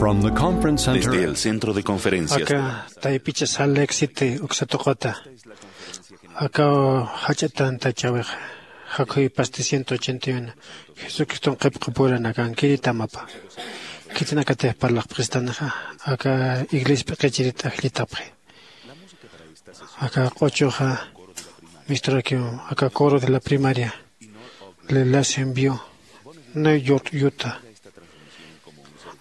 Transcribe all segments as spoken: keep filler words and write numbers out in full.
From the conference center. Desde el centro de conferencias. Aka taypicha Salt Lake City uksa tuquta. Aka jach'a tanta chawix jakhuywipasti ciento ochenta y uno. Jesucriston qhipqapuranakan kiritamapa. Khitinakatix parlaqpxistanixa aka iglesia p'iqichirit ajllitapxi. Aka q'uchuxa misturakiw aka coro de la primaria, Lelasión View, New York, Utah.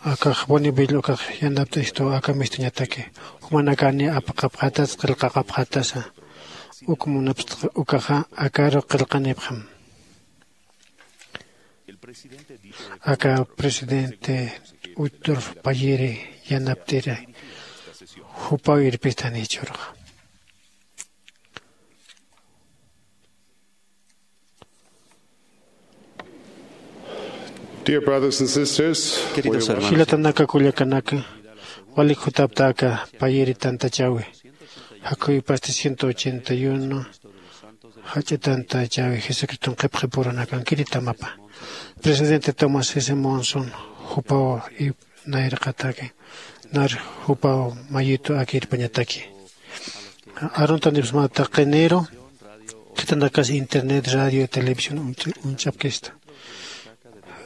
Akax Bonneville ukax yanapt'istu aka mistuñataki. Jumanakani apaqapxatas qillqaqapxatasa. Uk munapxta ukaxa akaru qillqanipxam. Aka presidente Uchtdorf Payiri yanapt'iri jupaw irpistani jichhüruxa. Dear brothers and sisters, queridos hermanos, jilatanaka kullakanaka, walik jutapta aka payiri tantachäwi, jakhuwipasti ciento ochenta y uno, jach'a tantachäwi Jesucriston qhipqipuranakan kiritamapa. Presidente Thomas S. Monson jupaw nayraqataki, nar jupaw mayitu akirpañataki. Aruntanipsmata qiniru, khitanakas internet, radio, televisión uñch-, uñch'apkista.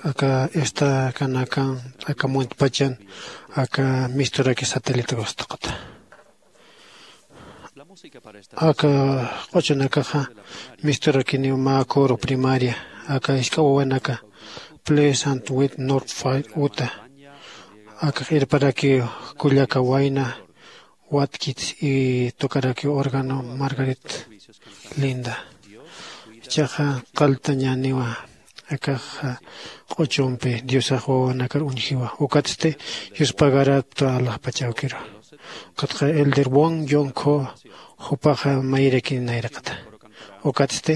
Aka esta kanakan, aka muntpachan, aka misturaki satélite gustaqata. Aka q'uchunakaxa misturakiniw mä coro primaria, aka isk'a wawanaka Pleasant View, North Fair, Utah. Akax irparakiw kullaka wayna, Watkins, y tocarakiw órgano Margaret Linda. Ichaxa qalltañäniwa akax q'uchumpi Diosax wawanakar uñjiwa. Ukatsti yuspagarapta alaxpachawkiru. Ukatxa Elder Won Yong Ko jupaxa mayirakini nayraqata. Ukatsti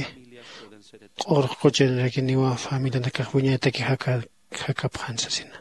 q'ur quchanrakiniwa familianakax wiñaytaki jaka-, jakapxan sasina.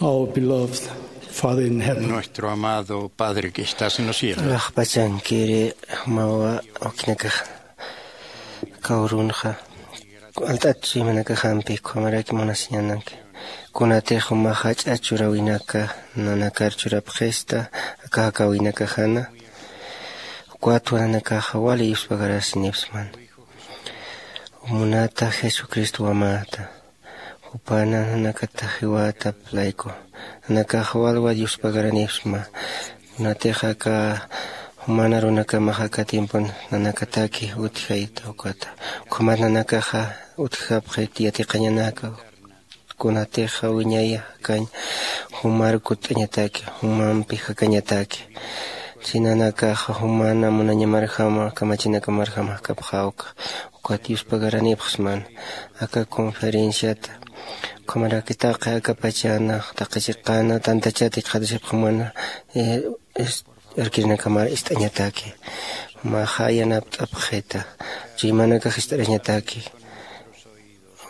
Our beloved Father in heaven. Nuestro amado Padre que estás en los cielos. Laqpachankiri mawa ukinakaxa. Kawrunxa alt'at chuymanakaxampi ukhamaraki munasiñanaki. Kunatix jumaxa jach'a churäwinaka nanakar churapxista aka jakäwinakaxana. Ukatwa nanakaxa wali yuspagarasiñapxsman. Munata Jesucristo wamäta. Jupana nanakata jiwätap layku. Nanakaxa wali wali yuspagaranipxsma. Kunatix aka juman arunakamax aka tiempon nanakataki utjayta ukata. Ukhamat nanakaxa utjapxit yatiqañanaka. Kunatixa wiñay jakañ jumar kutt'añataki, jumampi jakañataki. Si nanakaxa jumana munañamarjama, kamachinakamarjama jakapxä uka. Ukat yuspagaranipxsman aka conferenciata. Ukhamaraki taqi aka pachana, taqi chiqana, tantachata jikxatasipxamana, eh, es-, arkirinakamar ist'añataki. Jumaxa yanapt'apxita. Chuymanakax ist'arañataki.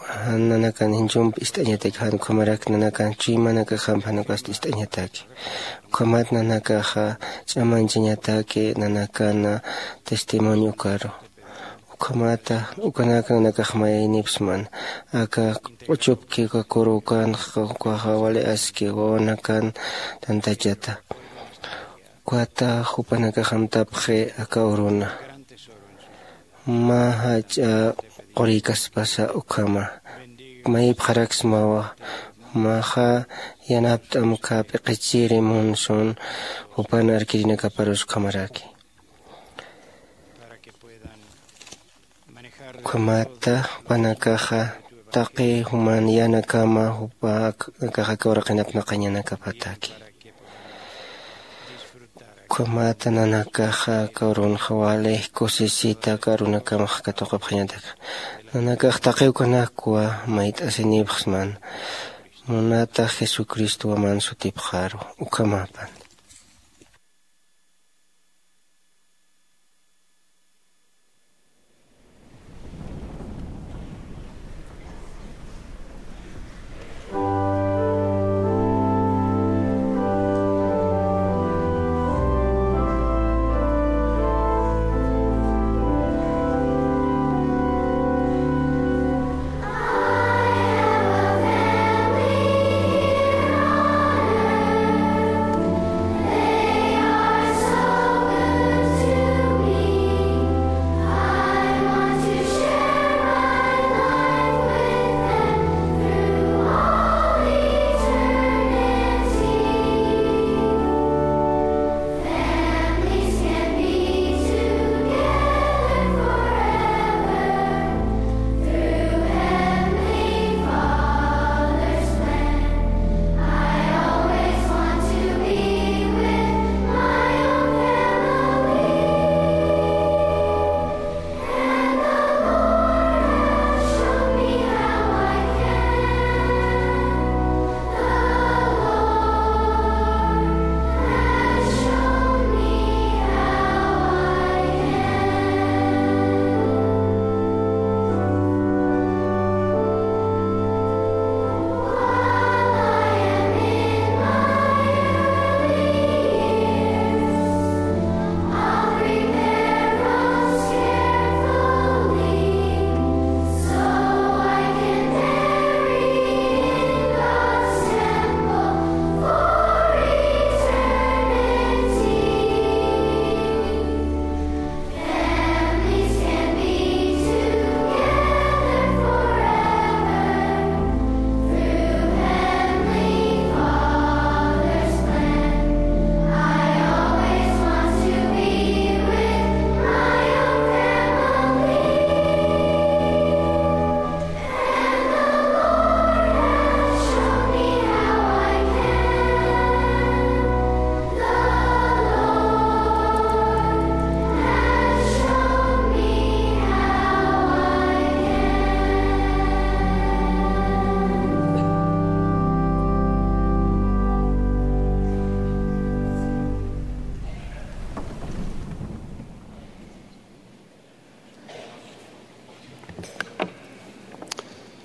Jan nanakan jinchumpi ist'añataki, jan ukhamarak nanakan chuymanakaxampi jan ukasti ist'añataki. Ukhamat nanakaxa ch'amañchañataki nanakana testimonio ukaru. Ukhamata, ukanaka nanakax mayaynipxsman. Aka q'uchupki uka kuru ukanxa, ukaxa wali aski wawanakan tantachata. Ukata jupanakax amtapxi aka uruna. Mä jach'a qurïkaspasa ukhama. Mayipxaraksmawa. Jumaxa yanapt'amkha p'iqichiri munsun jupan arkirinakaparus ukhamaraki. Ukhamata jupanakaxa taqi juman yanakama jupa ak-, akaxa aka uraqinap naqañanakapataki. Ukhamata nanakaxa aka urunxa wali kusisita aka arunakamax katuqapxañataki. Nanakax taqi ukanakwa mayt'asinipxsman. Munata Jesucristo waman sutipxaru. Ukhamapan.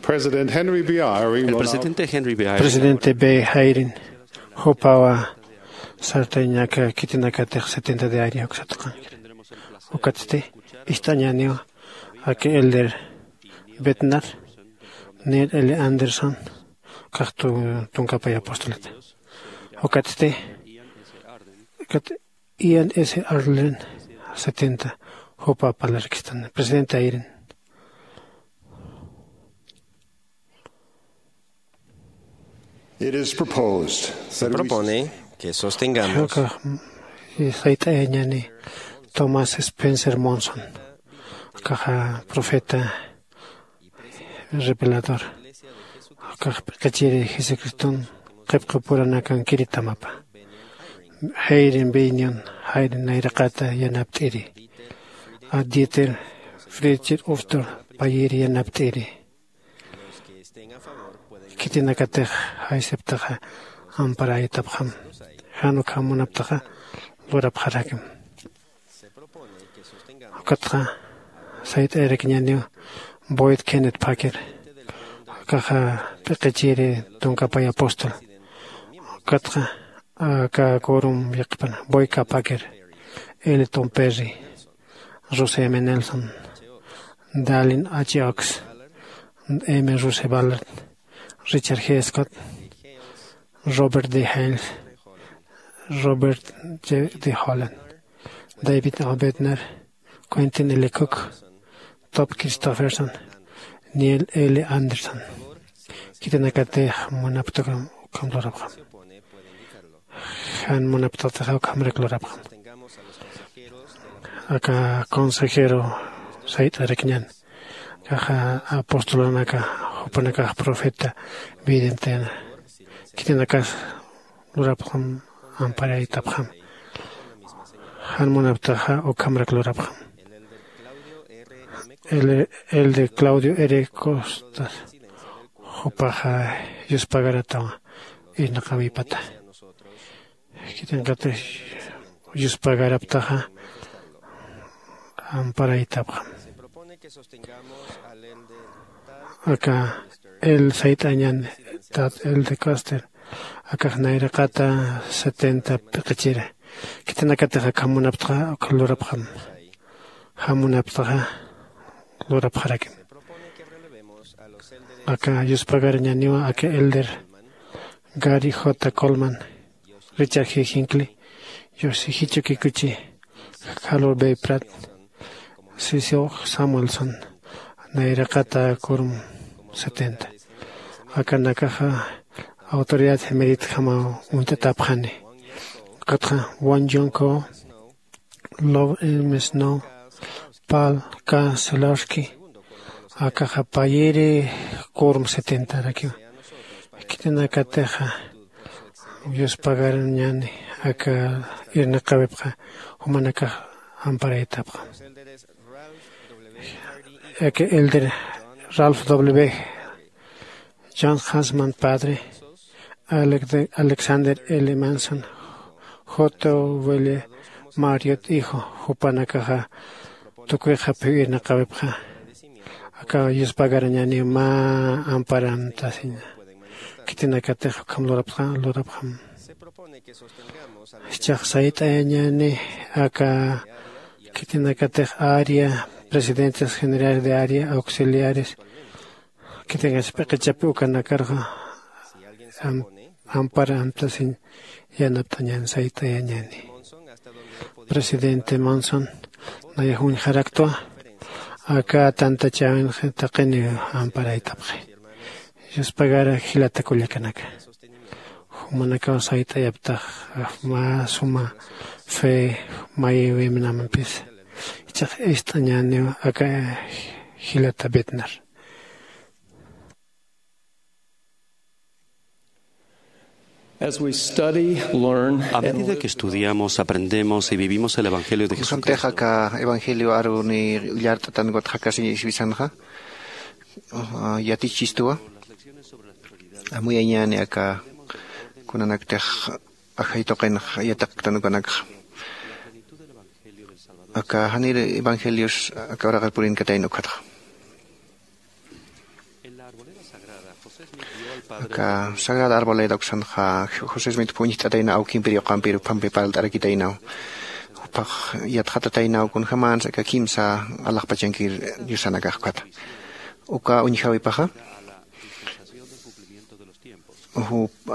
President Henry B. Eyring El will now presidente Henry B. Eyring. Presidente B. Eyring, jupawa sartañaka khitinakatix setenta de área uksatqankir. Ukatsti ist'añaniw aka Elder Bednar, Neil L. Anderson, kax tu-, tunkapay apostolata. Ukatsti, ukat Ian S. Arlen, setenta, jupa parlarkistan. Presidente Eyring. It is proposed Se that we propone que sostengamos Jawkax, mm, sayt'ayañani Thomas Spencer Monson, akaxa profeta revelador, akax p'iqichiri Jesucriston qipqipuranakankiritamapi. Eyring Bennion, Eyring nayraqata yanapt'iri. A Dieter Friedrich Uchtdorf, payiri yanapt'iri. Khitinakatix jaysiptaxa amparaytapxam. Jan ukham munaptaxa lurapxarakim. Ukatxa sayt'ayarakiñaniw Boyd Kenneth Packer, akaxa p'iqichiri tunkapay apóstol. Ukatxa aka quorum yaqhipan Boyd K. Packer, L. Tom Perry, Russell M. Nelson, Dallin H. Oaks, M. Russell Ballard, Richard G. Scott, Robert D. Hales, Robert J. D. Holland, David A. Bednar, Quentin L. Cook, Todd Christofferson, Neil L. Anderson. Khitinakatix munapxta ukham lurapxam. Jan munapxtaxa ukhamrak lurapxam. Aka consejero sayt'arakiñan, akaxa apostolanaka, jupanakax profeta videntena. Khitinakas lurapxam, amparaytapxam. Jan munapxtaxa ukhamrak lurapxam. El, el de Claudio R. Costas, jupaxa yuspagaratawa irnaqawipata. Khitinakatix yuspagarapxtaxa amparaytapxam. Aka el sayt'añan Tad L. de Coster, akax nayraqata setenta p'iqichira. Khitinakatix akham munapxta, ukham lurapxam. Jan munapxtaxa lurapxarakim. Aka yuspagarañaniwa aka Elder Gary J. Coleman, Richard G. Hinckley, Yoshihito Kikuchi, Harold B. Pratt, Cecil Samuelson, nayraqata quorum setenta. Akanakaxa autoridad emeritjamaw uñt'atapxani. Ukatxa Won Yong Ko, Lou M. Snow, Paul K. Selawski, akaxa payiri quorum setenta rakiwa. Khitinakatixa yuspagarañani aka irnaqawipxa, jumanakax amparaytapxam. Aka Elder Ralph W. John Hansman padre, Alec-, Alexander L. Manson, J. Welle Marriott hijo, jupanakaxa tukuyxapxiw irnaqawipxa. Aka yuspagarañani mä amparamtasiña. Khitinakatix ukham lurapxa, lurapxam. Jichhax sayt'ayañani aka khitinakatix área, presidentes generales de área, auxiliares, khitinakatix p'iqichapi ukanakarxa am-, ampar amtasiñ yanapt'añan sayt'ayañani. Presidente Monson nayax uñjaraktwa, aka tantachäwinxa taqiniw amparaytapxi. Yuspagara jilata kullakanaka. Jumanakaw sayt'ayaptax mä suma fe mayiwimnamampis. Jichhax ist'añäniw aka jilata Bednar. As we study, learn, A medida que estudiamos, aprendemos y vivimos el Evangelio de Jesucristo, kunjamtix aka evangelio aruni llart'atan ukat jakasiña iswisanxa, ah, yatichistuwa. Amuyañäni aka kunanaktix ajay tuqinx yatiqktan ukanakxa. Aka janir evangelios aka uraqir purinkatayna ukatxa. Aka sagrada arboleda uksanxa José Smith uñjt'atayna awkimpir yuqampir uphampi parlt'arakitaynaw. Upax yatxatataynaw kunjamansa aka kimsa alaxpachankir diosanakax ukhata. Uka uñjawipaxa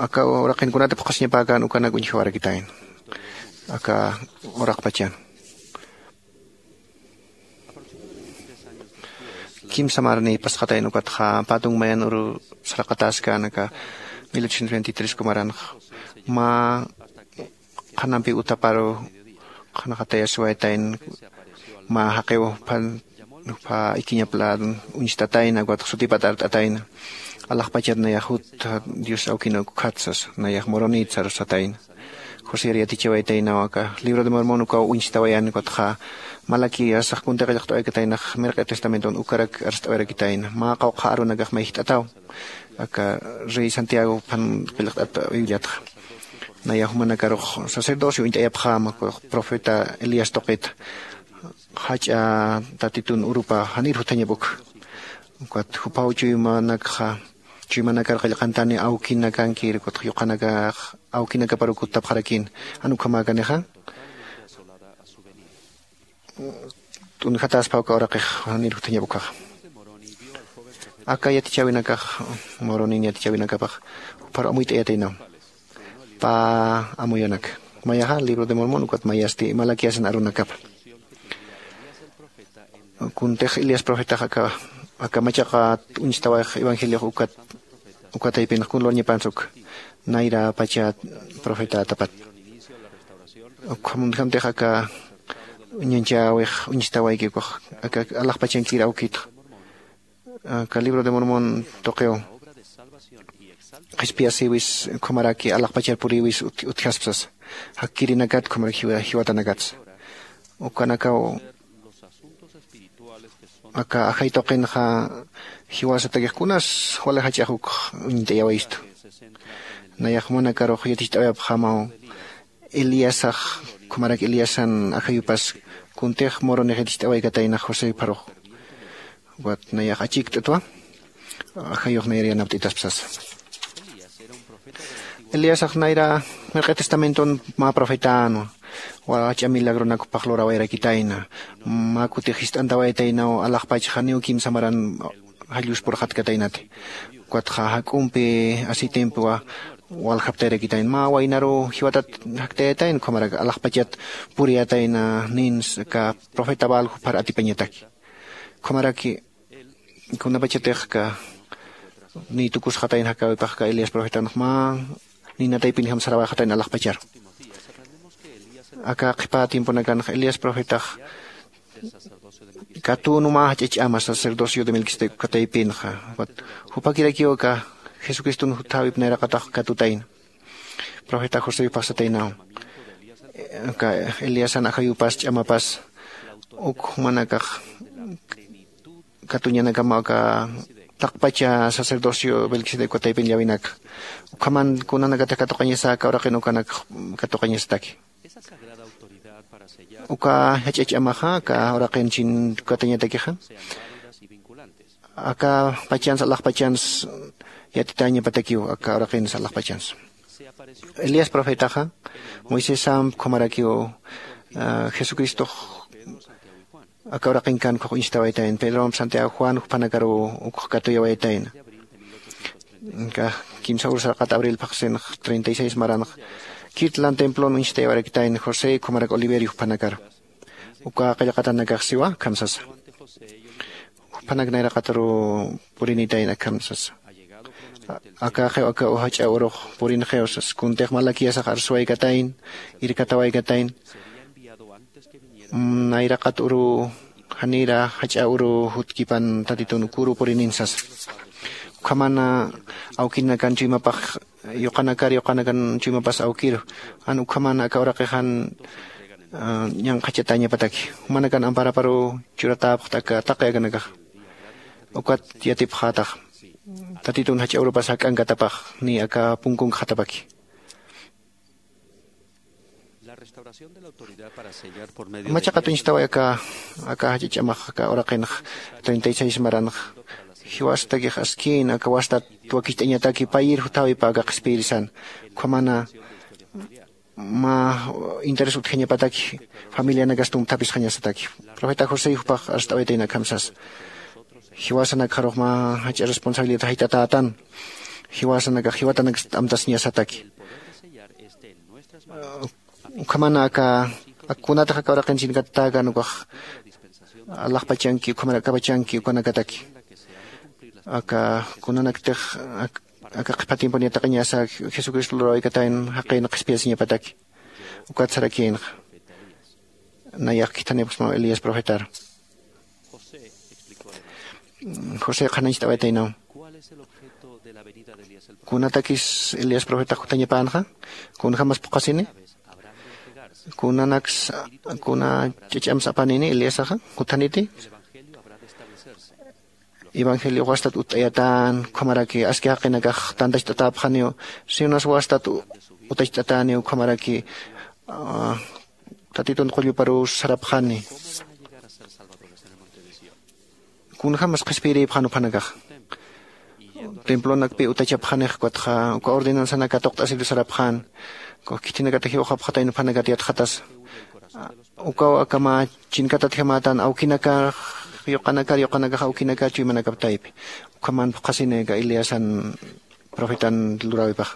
aka uraqin kunati phuqasiñapäkan ukanak uñjawarakitayna. Aka uraqpachan kimsa marni pasxatayna ukatxa patun mayan uru saraqatäskän aka mil ochocientos veintitrés kumaranxa mä qhanampi utaparu qhanxatayasiwaytayna. Mä jaqiw jupha ikiñap ladon uñstatayna ukatxa sutipat art'atayna. Alaxpachat nayax jut dios awkinuk ukhat sasa nayax moronit sarusatayna. José yatichawaytaynaw aka libro de mormon ukaw uñstawayan ukatxa malaquíasax kunti qillqt'awaykataynax mirq'i testamenton ukarak arst'awayarakitayna mä qawqha arunakax mayjt'ataw. Aka rey santiago phan qillqt'at bibliatxa nayax jumanakarux sacerdocio uñt'ayapxäma profeta elías tuqita jach'a tatitun urupa janir juthañap ukha. Ukat juphaw chuymanakxa chuymanakar qillqantani awkinakankir ukatxa yuqanakax awkinakaparu kuttapxarakïna. Jan ukhamäkanixa t'unjatäspa uka uraqix janir juthañap ukhaxa. Aka yatichäwinakax moronin yatichäwinakapax juphar amuyt'ayataynaw pä amuyanaka mayaxa libro de mormon ukat mayasti malaquiasan arunakapa. Kuntix elías profetax aka aka machaqa uñstawayx evangeliox ukat ukataypinx kun luñapansa ukha nayra pacha profetatapat. Ukhamuntjamtix aka ñanchäwix uñstawayki ukax aka alaxpachankir awkitxa aka libro de mormon tuqiw qhispiyasïwis ukhamaraki alaxpachar purïwis utjaspsasa. Jakkirinakat ukhamarak jiwatanakatsa ukanakaw aka ajay tuqinxa jiwasatakix kunas wali jach'ax ukx uñt'ayawayistu. Nayax jumanakarux yaticht'awayapxämaw eliasax ukhamarak eliasan ajayupas kuntix muronix yaticht'awaykataynax josé pharux. Ukat nayax achikt'atwa ajayux nayar yanapt'itaspa sasa. Eliasax nayra mirq'i testamenton mä profetänwa. Wach'a milagronak jupax lurawayarakitayna mä kutix jist'antawaytaynaw alaxpach janiw kimsa maran jallus purxatkataynati. Ukatxa jak'umpi aceitempiwa waljaptayarakitayna mä waynaruw jiwatat jaktayatayna ukhamarak alaxpachat puriyatayna ninsa aka profeta baal juphar atipañataki. Ukhamaraki kunapachatix aka niy tukusxatayna jakäwipax aka elías profetanx mä ninataypinjam sarawayxatayna alaxpacharu. Aka qhipä tiemponakanx elías profetax katünu mä jach'a ch'ama sacerdocio de melquisedec ukataypinxa. Jupakirakiw aka jesucriston juthäwip nayraqatax katutayna profeta josé phaxsataynaw. Aka eliasan ajayupas ch'amapas uk jumanakax katuñanakama aka taqpacha sacerdocio melquisedec ukataypin llawinaka. Ukhaman kunanakatix katuqañasa aka uraqin ukanak katuqañasataki. Uka jach'a ch'amaxa aka uraqin chin katañatakixa aka pachans alaxpachans yatitäñapatakiw aka uraqins alaxpachans. Elías profetaxa moisesamp ukhamarakiw jesucristox aka uraqinkan ukhax uñstawaytayna pedromp santiago juan juphanakaruw ukx katuyawaytayna. Kimsa ur sarqat abril phaxsinx treinta y seis maranx kirtlan templon uñstayawarakitayna josé ukhamarak oliverio juphanakar. Uka qillqatanakax siwa akham sasa. Juphanak nayraqataruw purinitayna akham sasa. Akaxiw aka jach'a urux purinxiw sasa kuntix malaquiasax arsuwaykatayna irkatawaykatayna. Nayraqat uru janira jach'a uru jutkipan tatitun ukuru purinin sasa. Ukhamana awkinakan chuymapax yuqanakar yuqanakan chuymapas awkiru jan ukhamana aka uraqixan ñanqhachatañapataki jumanakan amparaparu churatäpxta aka taqi akanakaxa. Ukat yatipxätax tatitun jach'a urupas jak'ankatapax ni aka punkunkxatapaki. Machaqat uñstaway aka aka jach'a ch'amax aka uraqinx treinta y seis maranx Jiwasatakix askïn aka wastat wakicht'añataki payir juthawipa aka qhispiyirisan. Ukhamana mä interés utjañapataki familianakas tumthapisxañasataki. Profeta josé jupax arst'awaytayna akham sasa. Jiwasanakxarux mä jach'a responsabilidad jayt'atätan. Jiwasanakax jiwatanaksa t'amtasiñasataki. Ukhamana aka kunatax aka uraqin chinkatatäkan ukax alaxpachanki ukhamar akapachanki ukanakataki. Aka kunanaktix aka qhipa tiempon yatiqañasa jesucristo lurawikatayn jaqin qhispiyasiñapataki. Ukat sarakïnxa nayax khithanipxsmaw elías profetar. José qhanañcht'awaytaynaw. Kunatakis elías profetax juthañapänxa? Kunjamas phuqhasini? Kunanaks kuna ch'ach'ams apanini eliasaxa juthaniti? Evangeliox wastat utt'ayatän ukhamaraki aski jaqinakax tantacht'atäpxaniw. Sinas wastat utacht'atäniw ukhamaraki tatitun qulluparuw sarapxani. Kunjämas qhispiyirïpxan juphanakax templonakpi utachapxanix ukatxa uka ordenansanak katuqt'asir sarapxän. Ukax khithinakata jiwxapxatayna juphanakat yatxatasa. Ukaw akama chinkatatjamätan awkinakax yuqanakar yuqanakax awkinakar chuymanakaptaypi. Ukhaman phuqhasini aka eliasan profetan luräwipaxa.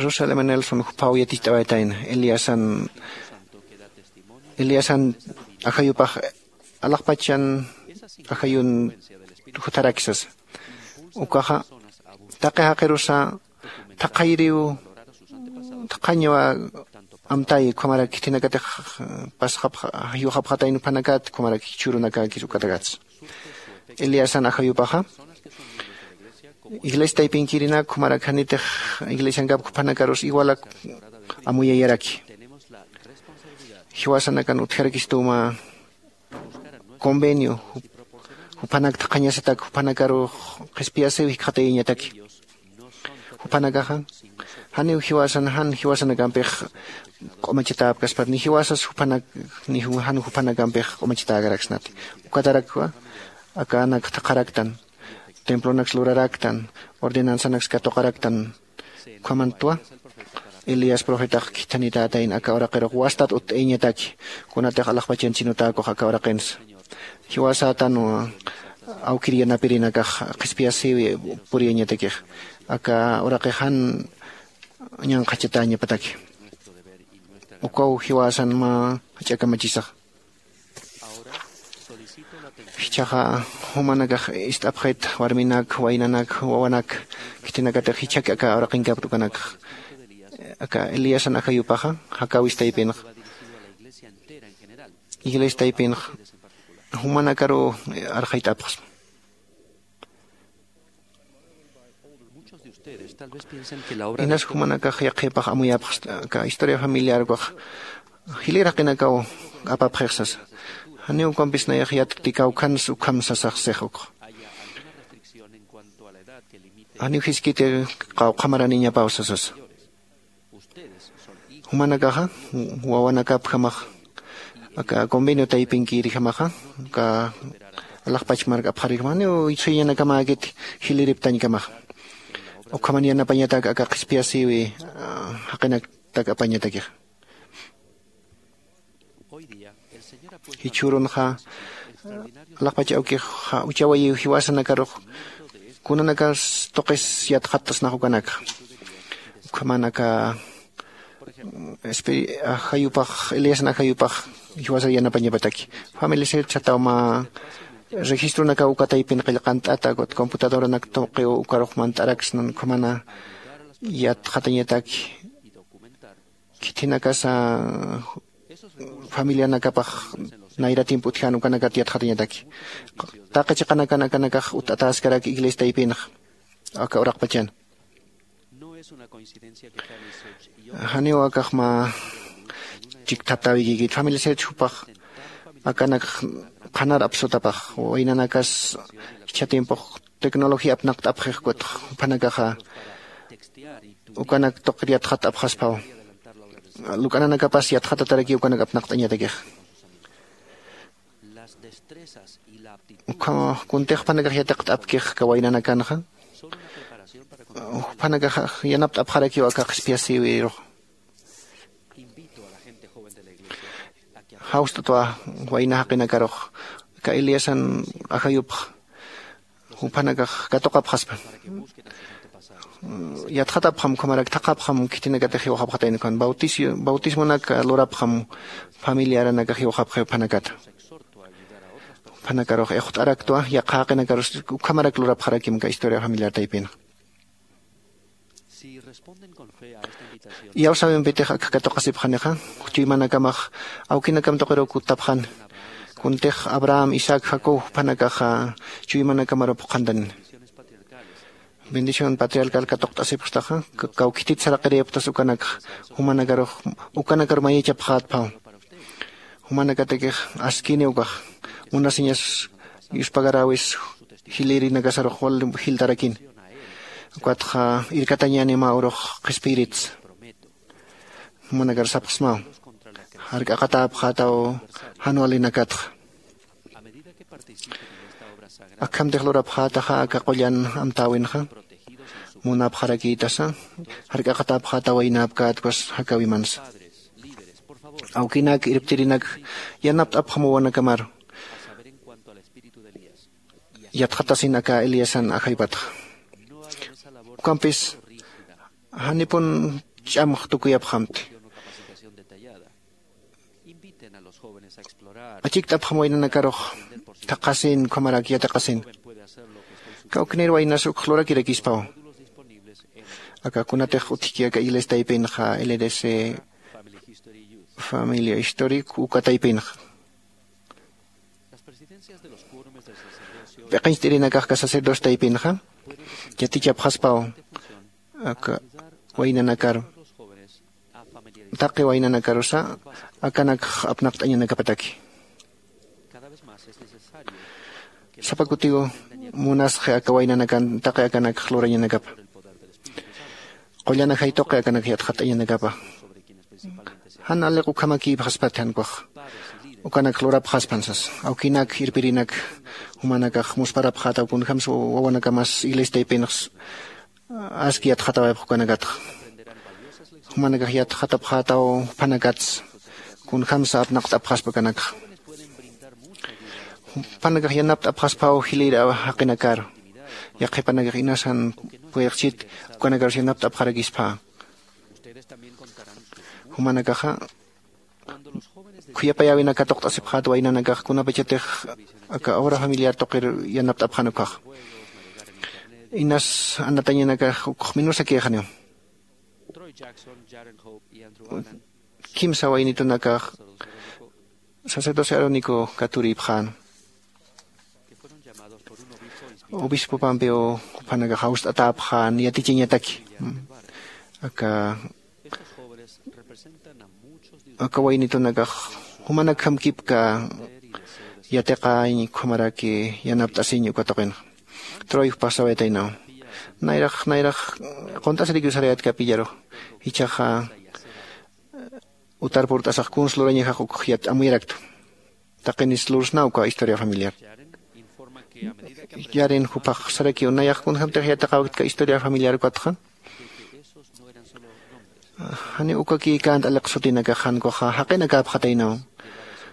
Russell m nelson juphaw yaticht'awaytayna eliasan eliasan ajayupax alaxpachan ajayun jutharak sasa. Ukaxa taqi jaqirusa thaqhayiriw thaqhañwa amtay ukhamarak khithinakatix pasxapxa jiwxapxatayna juphanakat ukhamarak jichhürunakäkis ukatakatsa. Eliasan ajayupaxa iglesia taypinkirinak jumarak janitix iglesiankap jupanakarus igualak amuyayaraki. Jiwasanakan utjarakistuma convenio jupanak thaqhañasatak jupanakarux qhispiyasiw jikxatayañataki. Jupanakaxa janiw jiwasan jan jiwasanakampix q'umachatäpkaspat ni jiwasas jupanak ni jan jupanakampix q'umachatäkaraksnati. Ukatarakwa akanak thaqharaktan templonaks luraraktan ordenansanaks katuqaraktan. Ukhamantwa elías profetax khithanitätayn aka uraqirux wastat utt'ayañataki kunatix alaxpachan chinutäkux aka uraqinsa. Jiwasätanwa awkir yanapirinakax qhispiyasïwi puriyañatakix aka uraqix jan ñanqhachatäñapataki. Ukaw jiwasan mä jach'a kamachisax. Jichhaxa jumanakax ist'apxit warminak waynanak wawanak khithinakatix jichhaki aka uraqinkapta ukanakax aka eliasan ajayupaxa jakäwis taypinxa iglesia taypinxa jumanakaruw arxayt'apxsma. Inas jumanakax yaqhipax amuyapxsta aka historia familiar ukax jilïr jaqinakaw apapxix sasa. Janiw ukampis nayax yatktikaw khans ukham sasax six ukxa. Janiw jiskiti qawqhamaraniñapaw sasasa. Jumanakaxa wawanakapjamax aka convenio taypinkirjamaxa aka alaxpach mark apxarjama janiw suyañanakamäkiti jiliriptañkamaxa. Ukhaman yanapañatak aka qhispiyasïwi jaqinaktak apañatakixa. Jichhürunxa alaxpach awkixa uchawayiw jiwasanakarux kunanakas tuqis yatxattasnax ukanakxa. Ukhaman aka ajayupax eliasna ajayupax jiwasar yanapañapataki. Familia sirchataw mä registronakaw uka taypin qillqant'ata ukat computadoranak tuqiw ukarux mant'araksnan ukhamana yatxatañataki. Khithinakasa familianakapax nayra tiempo utjan ukanakat yatxatañataki. Taqi chiqanakan akanakax utt'atäskarak iglesia taypinxa aka uraqpachan. Janiw akax mä chikthaptäwikïkit familia sirch jupax akanakx qhanar apsutapax waynanakas jichha tiempox tecnología apnaqt'apxix ukatx juphanakaxa ukanak tuqir yatxat'apxaspaw. Luk'ananakapas yatxatatarakiw ukanak apnaqt'añatakix. Las destrezas y la Ukhama kuntix jupanakax yatiqt'apkix aka waynanakanxa, jupanakax yanapt'apxarakiw aka qhispiyasïwirux. Jawst'atwa wayna jaqinakarux aka Eliasan ajayupx jupanakax katuqapxaspa. Yatxatapxam ukhamarak thaqhapxam khitinakatix jiwxapxatayna ukhan bautismonak lurapxam familiaranakax jiwxapxi juphanakata. Juphanakarux ixt'araktwa yaqha jaqinakarus ukhamarak lurapxarakim aka historia familiar taypinxa. Iyawsäwimpitix akx katuqasipxanixa chuymanakamax awkinakam tuqiruw kuttapxani. Kuntix abraham isaac jacob juphanakaxa chuymanakamaruw phuqhantanini. Bendición patriarcal katuqt'asipxtaxa kawkhitit saraqirïpxtas ukanakxa jumanakarux ukanakaru mayachapxätphaw. Jumanakatakix askini ukax munasiñas yuspagaräwis jilïrinakasarux wal jiltarakini. Ukatxa irkatañäni mä urux qhispiyiritsa. Jumanakar sapxsmaw jark'aqatäpxätaw jan walinakatxa. Akhamtix lurapxätaxa aka qullan amtäwinxa munapxarakïtasa jark'aqatäpxätaw waynäpkätwas jakäwimansa. Awkinak irptirinak yanapt'apxam wawanakamaru yatxatasin aka eliasan ajaypatxa. Ukampis janipun ch'amx tukuyapxamti. Achikt'apxam waynanakarux thaqhasin ukhamarak yatiqasin. Kawknir waynas ukx lurakirakispaw. Aka kunatix utjki aka iglesia taypinxa ldc familia historic uka taypinxa. P'iqincht'irinakax aka sacerdocio taypinxa yatichapxaspaw aka waynanakaru taqi waynanakarusa akanakx apnaqt'añanakapataki. Sapa kutiw munasxi aka waynanakan taqi akanakx lurañanakapa qullan ajay tuqi akanakx yatxat'añanakapa. Jan aliq ukhamakïpxaspati jan ukax ukanakx lurapxaspan sasa awkinak irpirinak jumanakax musparapxätaw kunjämsa wawanakamas iglesia taypinx aski yatxatawayapx ukanakatxa. Jumanakax yatxatapxätaw jupanakatsa kunjämsa apnaqt'apxaspa akanakxa. Jupanakax yanapt'apxasphaw jilïr jaqinakaru yaqhipanakax inasan puyirxchit ukanakarus yanapt'apxarakisphä. Jumanakaxa khuyapayäwinak katuqt'asipxät waynanakax kunapachatix aka obra familiar tuqir yanapt'apxän ukkhaxa. Inas anatañanakax ukx minusakïxaniw. Kimsa waynitunakax sacerdocio arónico katurïpxän. Obispopampiw jupanakax jawst'atäpxän yatichañataki aka aka waynitunakax jumanakjam kipka yatiqañ ukhamaraki yanapt'asiñ uka tuqinxa. Troy jupax sawayataynaw nayrax nayrax qunt'asirikiw sarayätkapi illarux jichhaxa utar purt'asax kuns lurañajax ukx yat amuyaraktwa. Taqinis lursnaw uka historia familiar. Yarin jupax sarakiw nayax kunjämtix yatiqäwitka historia familiar ukatxa. Janiw ukakïkänti aliq sutinakax jan ukaxa jaqinakäpxataynaw.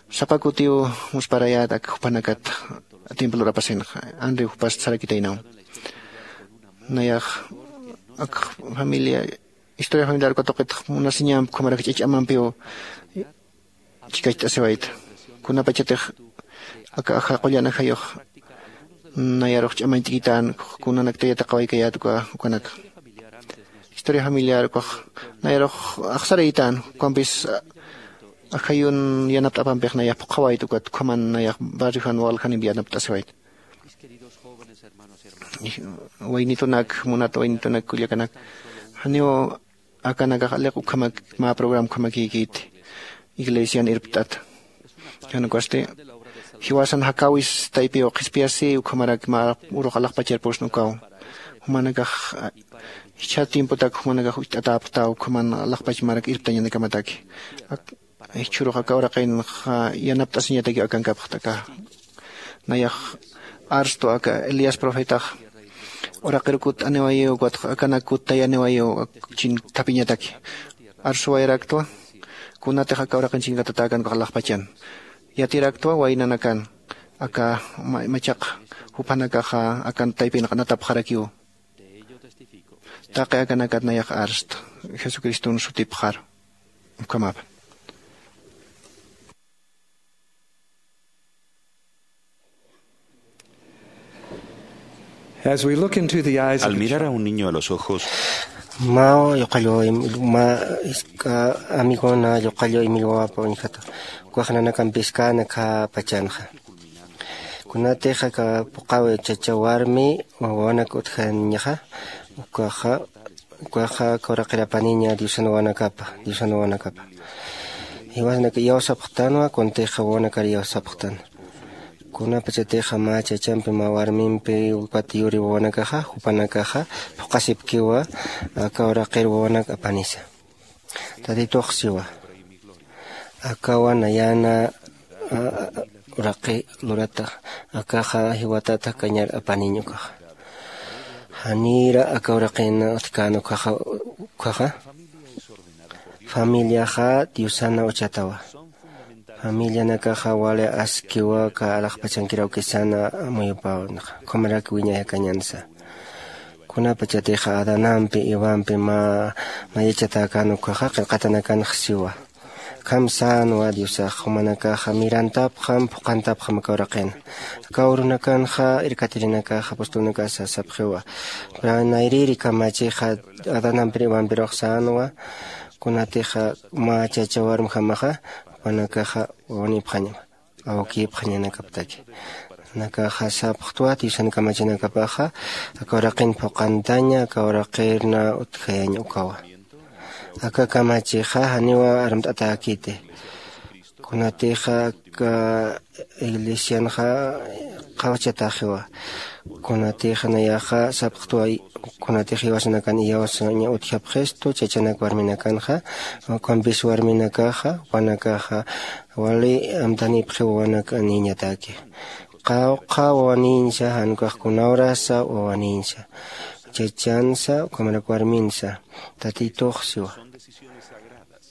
Sapa kutiw musparayät ak jupanakat tiempo lurapasinxa anri jupast sarakitaynaw. Nayax ak familia historia familiar uka tuqitx munasiñamp ukhamarak ch'ach'amampiw chikacht'asiwayta. Kunapachatix aka aja qullan ajayux nayarux ch'amañt'kitän kunanakta yatiqawaykayät uka ukanaka. Historia familiar ukax nayarux axsaraytän ukampis ajayun yanapt'apampix nayax phuqhawayta ukat ukhaman nayax barriojan waljaniw yanapt'asiwayta. Waynitunak munat waynitunak kullakanak janiw akanakax aliq ukhamak mä programa ukhamakïkiti iglesian irpt'ata. Jan ukasti jiwasan jakäwis taypiw qhispiyasï ukhamarak mä urux alaxpachar pusna ukaw. Jumanakax jichha tiempotak jumanakax ucht'atäpxtaw ukhaman alaxpach marak irptañanakamataki. Jichhürux aka uraqinxa yanapt'asiñatakiw akankapxta aka Nayax arstu aka Elías profetax uraqir kutt'aniwayiw, ukatx akanak kuttayaniwayiw chin thapiñataki. Arsuwayaraktwa kunatix aka uraqin chinkatatäkan ukax alaxpachan. Yatiraktwa waynanakan aka ma- machaq juphanakaxa akan taypin q'anatapxarakiw. Taqi akanakat nayax arsta jesucriston sutipxar. Ukhamapa. As we look into the eyes of Al the mirar a child, un niño a los ojos, mä yuqallu im- mä iska amigona yuqallu imillwawapa uñjata, ukax nanakampis kän akha pachanxa. Kunatix aka puqawi chacha warmi wawanak utjañaxa, ukaxa ukaxa aka uraqir apaniña diosan wawanakapa, diosan wawanakapa. Jiwasanaka iyawsapxtanwa, kuntixa wawanakar iyawsapxtan. Kunapachatixa mä chachampi mä warmimpi ukat yuri wawanakaxa jupanakaxa phuqasipkiwa aka uraqir wawanak apanisa. Tatitux siwa, akawa nayana a- a- uraqi lurata, akaxa jiwatat jakañar apaniñ ukaxa. Janira aka uraqin utjkän ukaxa, ukaxa familiaxa diosana uchatawa. Familianakaxa wali askiwa aka alaxpachankir awkisana amuyupäwinxa, ukhamarak wiñay jakañansa. Kunapachatixa adanampi ivampi mä mayachatäkän ukaxa qillqatanakanx siwa. Akham sänwa diosax jumanakaxa mirantapxam phuqhantapxam aka uraqin. Aka urunakanxa irkatirinakax apostolnakasa sapxiwa, nayrïri kamachixa adanampir ivampirux sänwa. Kunatixa mä chacha warmjamaxa jupanakaxa wawanipxañama awkipxañanakaptaki. Nakaxa sapxtwa diosan kamachinakapaxa aka uraqin phuqhantaña aka uraqirna utjayañ ukawa. Aka kamachixa janiwa armt'atäkiti. Kunatixa aka iglesianxa qhawachataxiwa. Kunatixa nayaxa sapxtwa kunatix jiwasanakan iyawsaña utjapxistu chachanak warminakanxa, ukampis warminakaxa jupanakaxa wali amtanipxiw wawanak niñataki. Qawqha wawaniñsa jan ukax kuna urasa wawaniñsa, chachansa ukhamarak warminsa. Tatitux siwa,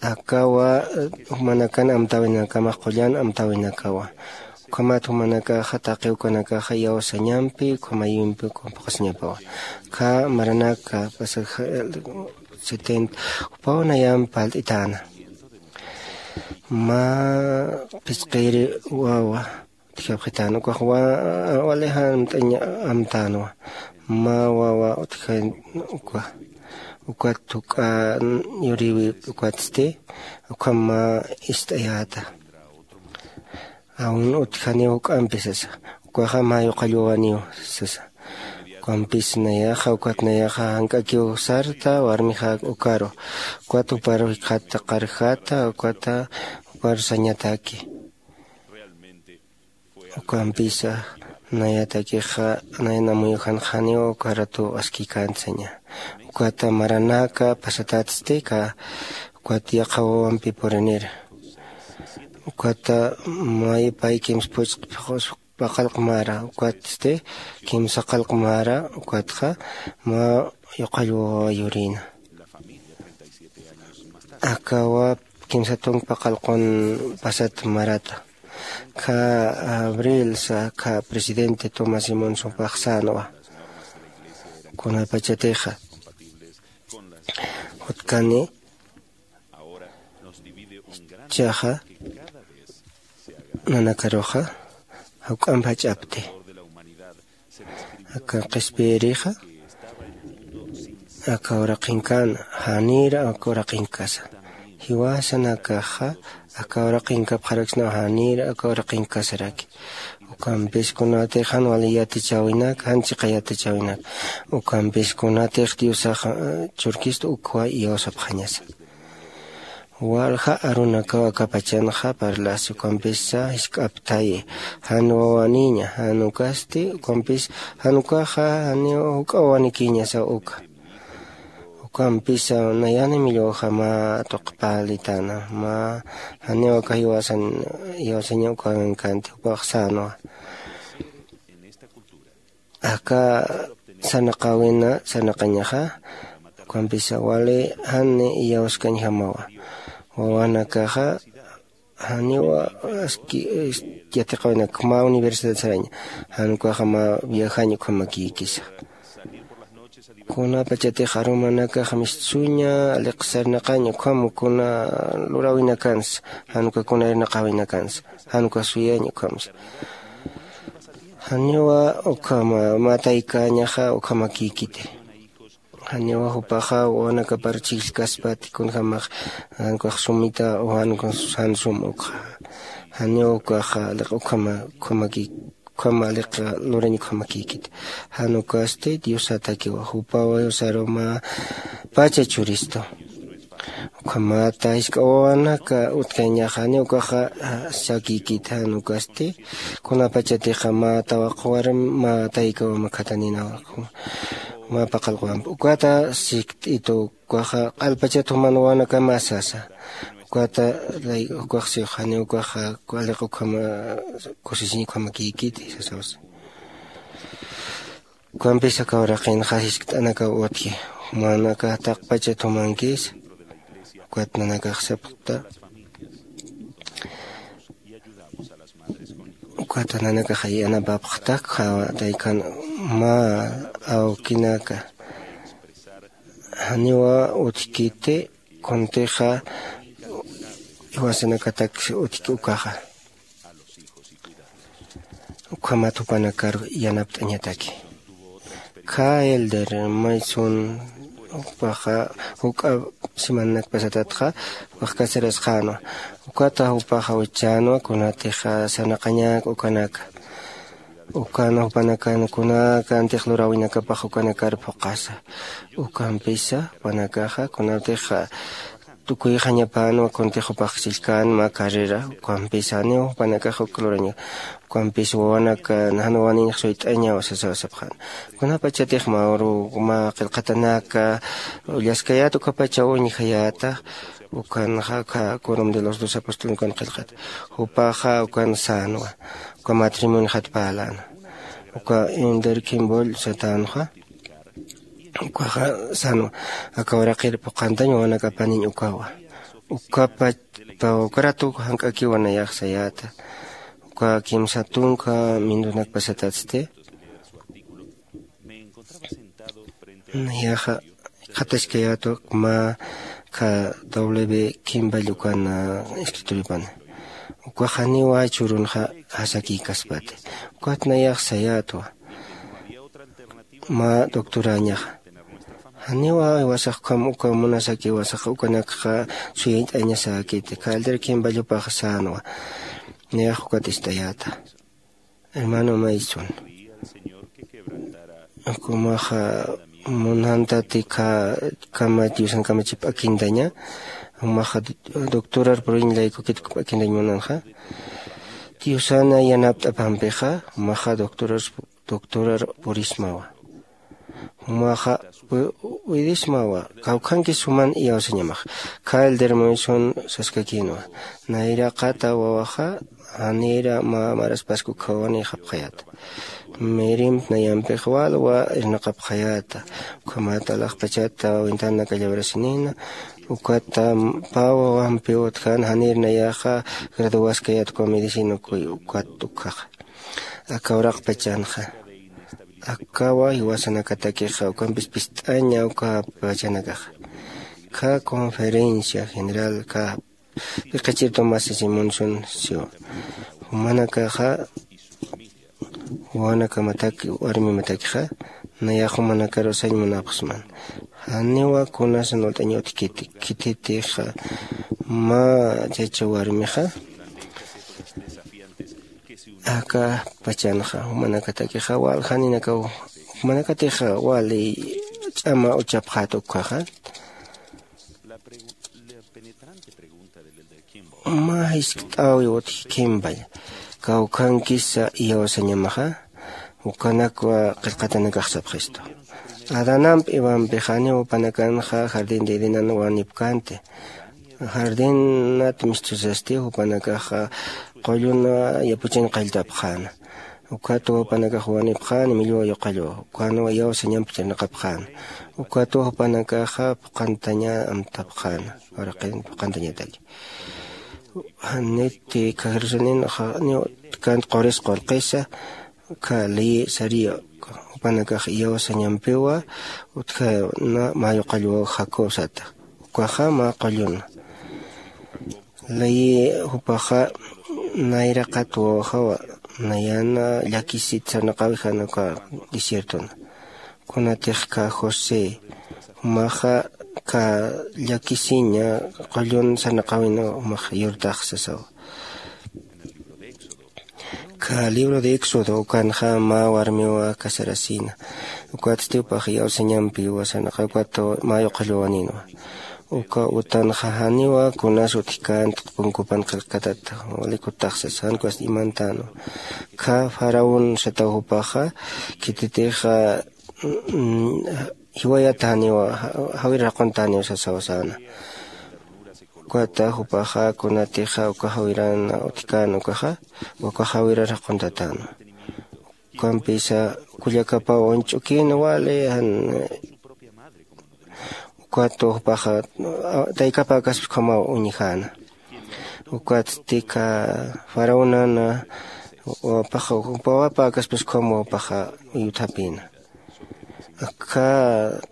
akawa jumanakan amtäwinakamax qullan amtäwinakawa. Ukhamat jumanakaxa taqi ukanakaxa iyawsañampi ukhamayimpi ukham phuqhasiñapawa. Kha maranaka pasaja setenta jupaw nayamp parlt'itäna. Mä phisqiri wawa utjapxitäna ukax wali jan amt'añ amtänwa. Mä wawa utjan uka ukat juk'a yuriwi ukatsti ukham mä ist'ayäta. Aun utjaniw juk'ampi sasa. Ukaxa mä yuqallwawaniw sasa. Ukampis nayaxa ukat nayaxa jank'akiw sarta warmixak ukaru. Ukat juparu jikxatta qarjata ukata juparu sañataki. Ukampisa nayatakixa nayan amuyujanxaniw uka ratu askikänti saña. Ukata maranaka pasatatsti kä ukat yaqha wawampi purinir. Ukata may pay kimsa phuchq paqallq mara ukatsti kimsa qallq mara ukatxa mä yuqallwawa yurïna. Akawa kimsa tunka paqallqun pasat marata. Kha abril sa kha presidente Tomás Simón supax sänwa. Kunapachatixa jutkani chaxa nanakaruxa jawk'amp jach'apti. Aka qhispiyirixa aka uraqinkana janïr aka uraqinkasa. Jiwasanakaxa aka uraqinkapxaraksnaw janïr aka uraqinkasaraki. Ukampis kunatix jan wali yatichäwinak jan chiqa yatichäwinak. Ukampis kunatix diosax churkista ukwa iyawsapxañasa. Walja arunakaw aka pachanxa parlasi ukampisa jisk'aptayi jan wawanïña jan ukasti ukampis jan ukaxa janiw juk'a wawanikïñasaw uka. Ukampisa nayan imillwawja mä tuqi parlitana mä janiw aka jiwasan iyawsaña ukankanti jupax sänwa. aka sarnaqäwina sarnaqañaxa. Ukampisa wali jan iyawskañjamawa. Wawanakaxa janiwa aski yatiqawinak mä universidad saraña. Jan ukaxa mä viajañ ukhamakïkisa. Kunapachatix arumanakax mistsuña aliqsarnaqañ ukham kuna luräwinakansa. Jan uka kuna irnaqäwinakansa jan uka suyañ ukhamsa. Janiwa ukhama mä taykäñaxa ukhamakïkiti. Janiwa jupaxa wawanakapar chhijllkaspati kunjämax jan ukax sumita o jan ukax jan sum ukxa. Janiwa ukaxa aliq ukhama ukhamakïkiti. Ukhama aliq lurañ ukhamakïkiti. Jan ukasti diosatakiwa jupawa diosaruma pacha churistu. Ukhamata jisk'a wawanaka utkañaxa janiw ukaxa sakïkiti jan ukasti kunapachatixa mä tawaq warmi mä taykawa mä khataninawa mä paqallqwampi ukata sikt'itu. Ukaxa q'alpachat juman wawanakama sasa. Ukata ukax six janiw ukaxa aliq ukhama kusisiñ ukhamakïkiti sasawsa. Ukampis aka uraqinxa jiskt'anakaw utji. Jumanakax taqpachat jumankis ukat nanakax sapxta. Ukat nanakax yanapapxta khawataykan mä awkinaka janiwa utjkiti. Kuntixa iwasanakatak utjki ukaxa ukhamat jupanakar yanapt'añataki. Kha elder maysun jupaxa juk'a semananak pasatatxa wajkasirasxänwa. Ukata jupaxa wichchänwa kunatixa sarnaqañak ukanaka ukan jupanakan kunakantix luräwinakapax ukanakar phuqhasa. Ukampisa jupanakaxa kunatixa tukuyxañapänwa kuntix jupax chillkän mä carrera ukampisa janiw jupanakax uk luraña. Ukampis wawanakan jan wawaniñx suyt'añaw sasaw sapxän. Kunapachatix mä uru mä qillqatanaka ullaskayät ukapachaw uñjayäta. Ukanxa aka corum de los dos apostol ukan qillqat jupaxa ukan sänwa uka matrimonixat parlänwa. Uka inderkimbull satänxa ukaxa sänwa aka uraqir phuqhantañ wawanakapaniñ ukawa. Ukapa pawkaratu jank'akiwa nayax sayäta uka kimsa tunka mindunak pasatatsti. Nayaxa qhataskayätwa mä kha doble b kimball ukan escritoriopana. Ukax janiwa churunxa jasakïkaspati. Ukat nayax sayätwa mä doctorañaxa janiwa iwasax ukham uka munasaki iwasax ukanakxa suyayt'añasäkiti kha elder kimball jupax sänwa. Nayax ukat ist'ayäta hermano maysun. Jumaxa munantati kha kama diosan kamachi p'akintaña. Jumaxa doctorar puriñ laykukit p'akintañ munanxa diosana yanapt'apampixa jumaxa doctorar doctorar purismawa. Jumaxa widismawa kawkhanki suman iyawsañamax. Kha elder maysun saskakïnwa nayraqata wawaxa janira mä maraspask ukkhawanïxapxayäta. Mirimp nayampix walwa irnaqapxayäta. Ukhamat alaxpachata wintanaka llabrasinïna. Ukata pä wawampiw utjän janir nayaxa graduwaskayät uka medicina ukat ukkhaxa. Aka uraqpachanxa akawa jiwasanakatakixa ukampis pist'aña uka pachanakaxa. Kha conferencia general kha piqachir tomás simonson siwa jumanakaxa wawanakamataki warmimatakixa nayax jumanakarusañ munapxsman. Janiwa kunasan ult'añ utjkiti khititixa mä chacha warmixa aka pachanxa jumanakatakixa wal janinakaw jumanakatixa wali ch'ama uchapxät ukkhaxa. Mä jiskt'äwi utji kimball kawkhankisa iyawsañamaxa. Ukanakwa qillqatanakax sapxistu adanamp iwampi janiw jupanakanxa jardín de edenan wanipkänti. Jardinat mistusasti jupanakaxa qulluna yapuchan qalltapxäna. Ukatwa jupanakax wanipxäna millwa yuqallwa, ukanwa iyawsañamp chirnaqapxäna. Ukatwa jupanakaxa phuqhantaña amtapxäna, uraqin phuqhantañataki. Janiti kha jerusalén janiw utkant quris qurqisa, kha ley sariya jupanakax iyawsañampiwa utkhana mä yuqallwaw jacob sata. Ukaxa mä qulluna. Layi jupaxa nayraqat wawaxawa, nayana llakisit sarnaqawijan uka desiertona. Kunatix kha josé jumaxa kha llakisiña qullun sarnaqawina jumax yurtax sasawa. Kha libro de éxodo ukanxa mä warmiwa casarasina. Ukatsti jupax iyawsañampiwa sarnaqawi ukat mä yuqallwawaninwa. Uka utanxa janiwa kunas utjkänti q'upunkupan qillqkatata, wali kutaxsas jan ukas imantänwa. Kha faraón sataw jupaxa khititixa jiwayata janiwa, jawir jaqunta janiw sasawa säna. Ukata jupaxa kunatixa uka jawiran utjkän ukaxa, uka jawirar jaquntatänwa. Ukampisa kullakapaw uñch'ukin wali jan ukatwa jupaxa taykapäkaspa ukhamaw uñjäna. Ukatsti kha faraonana wapaxa jupa wapäkaspas ukham wapaxa uyuthapïna. Akha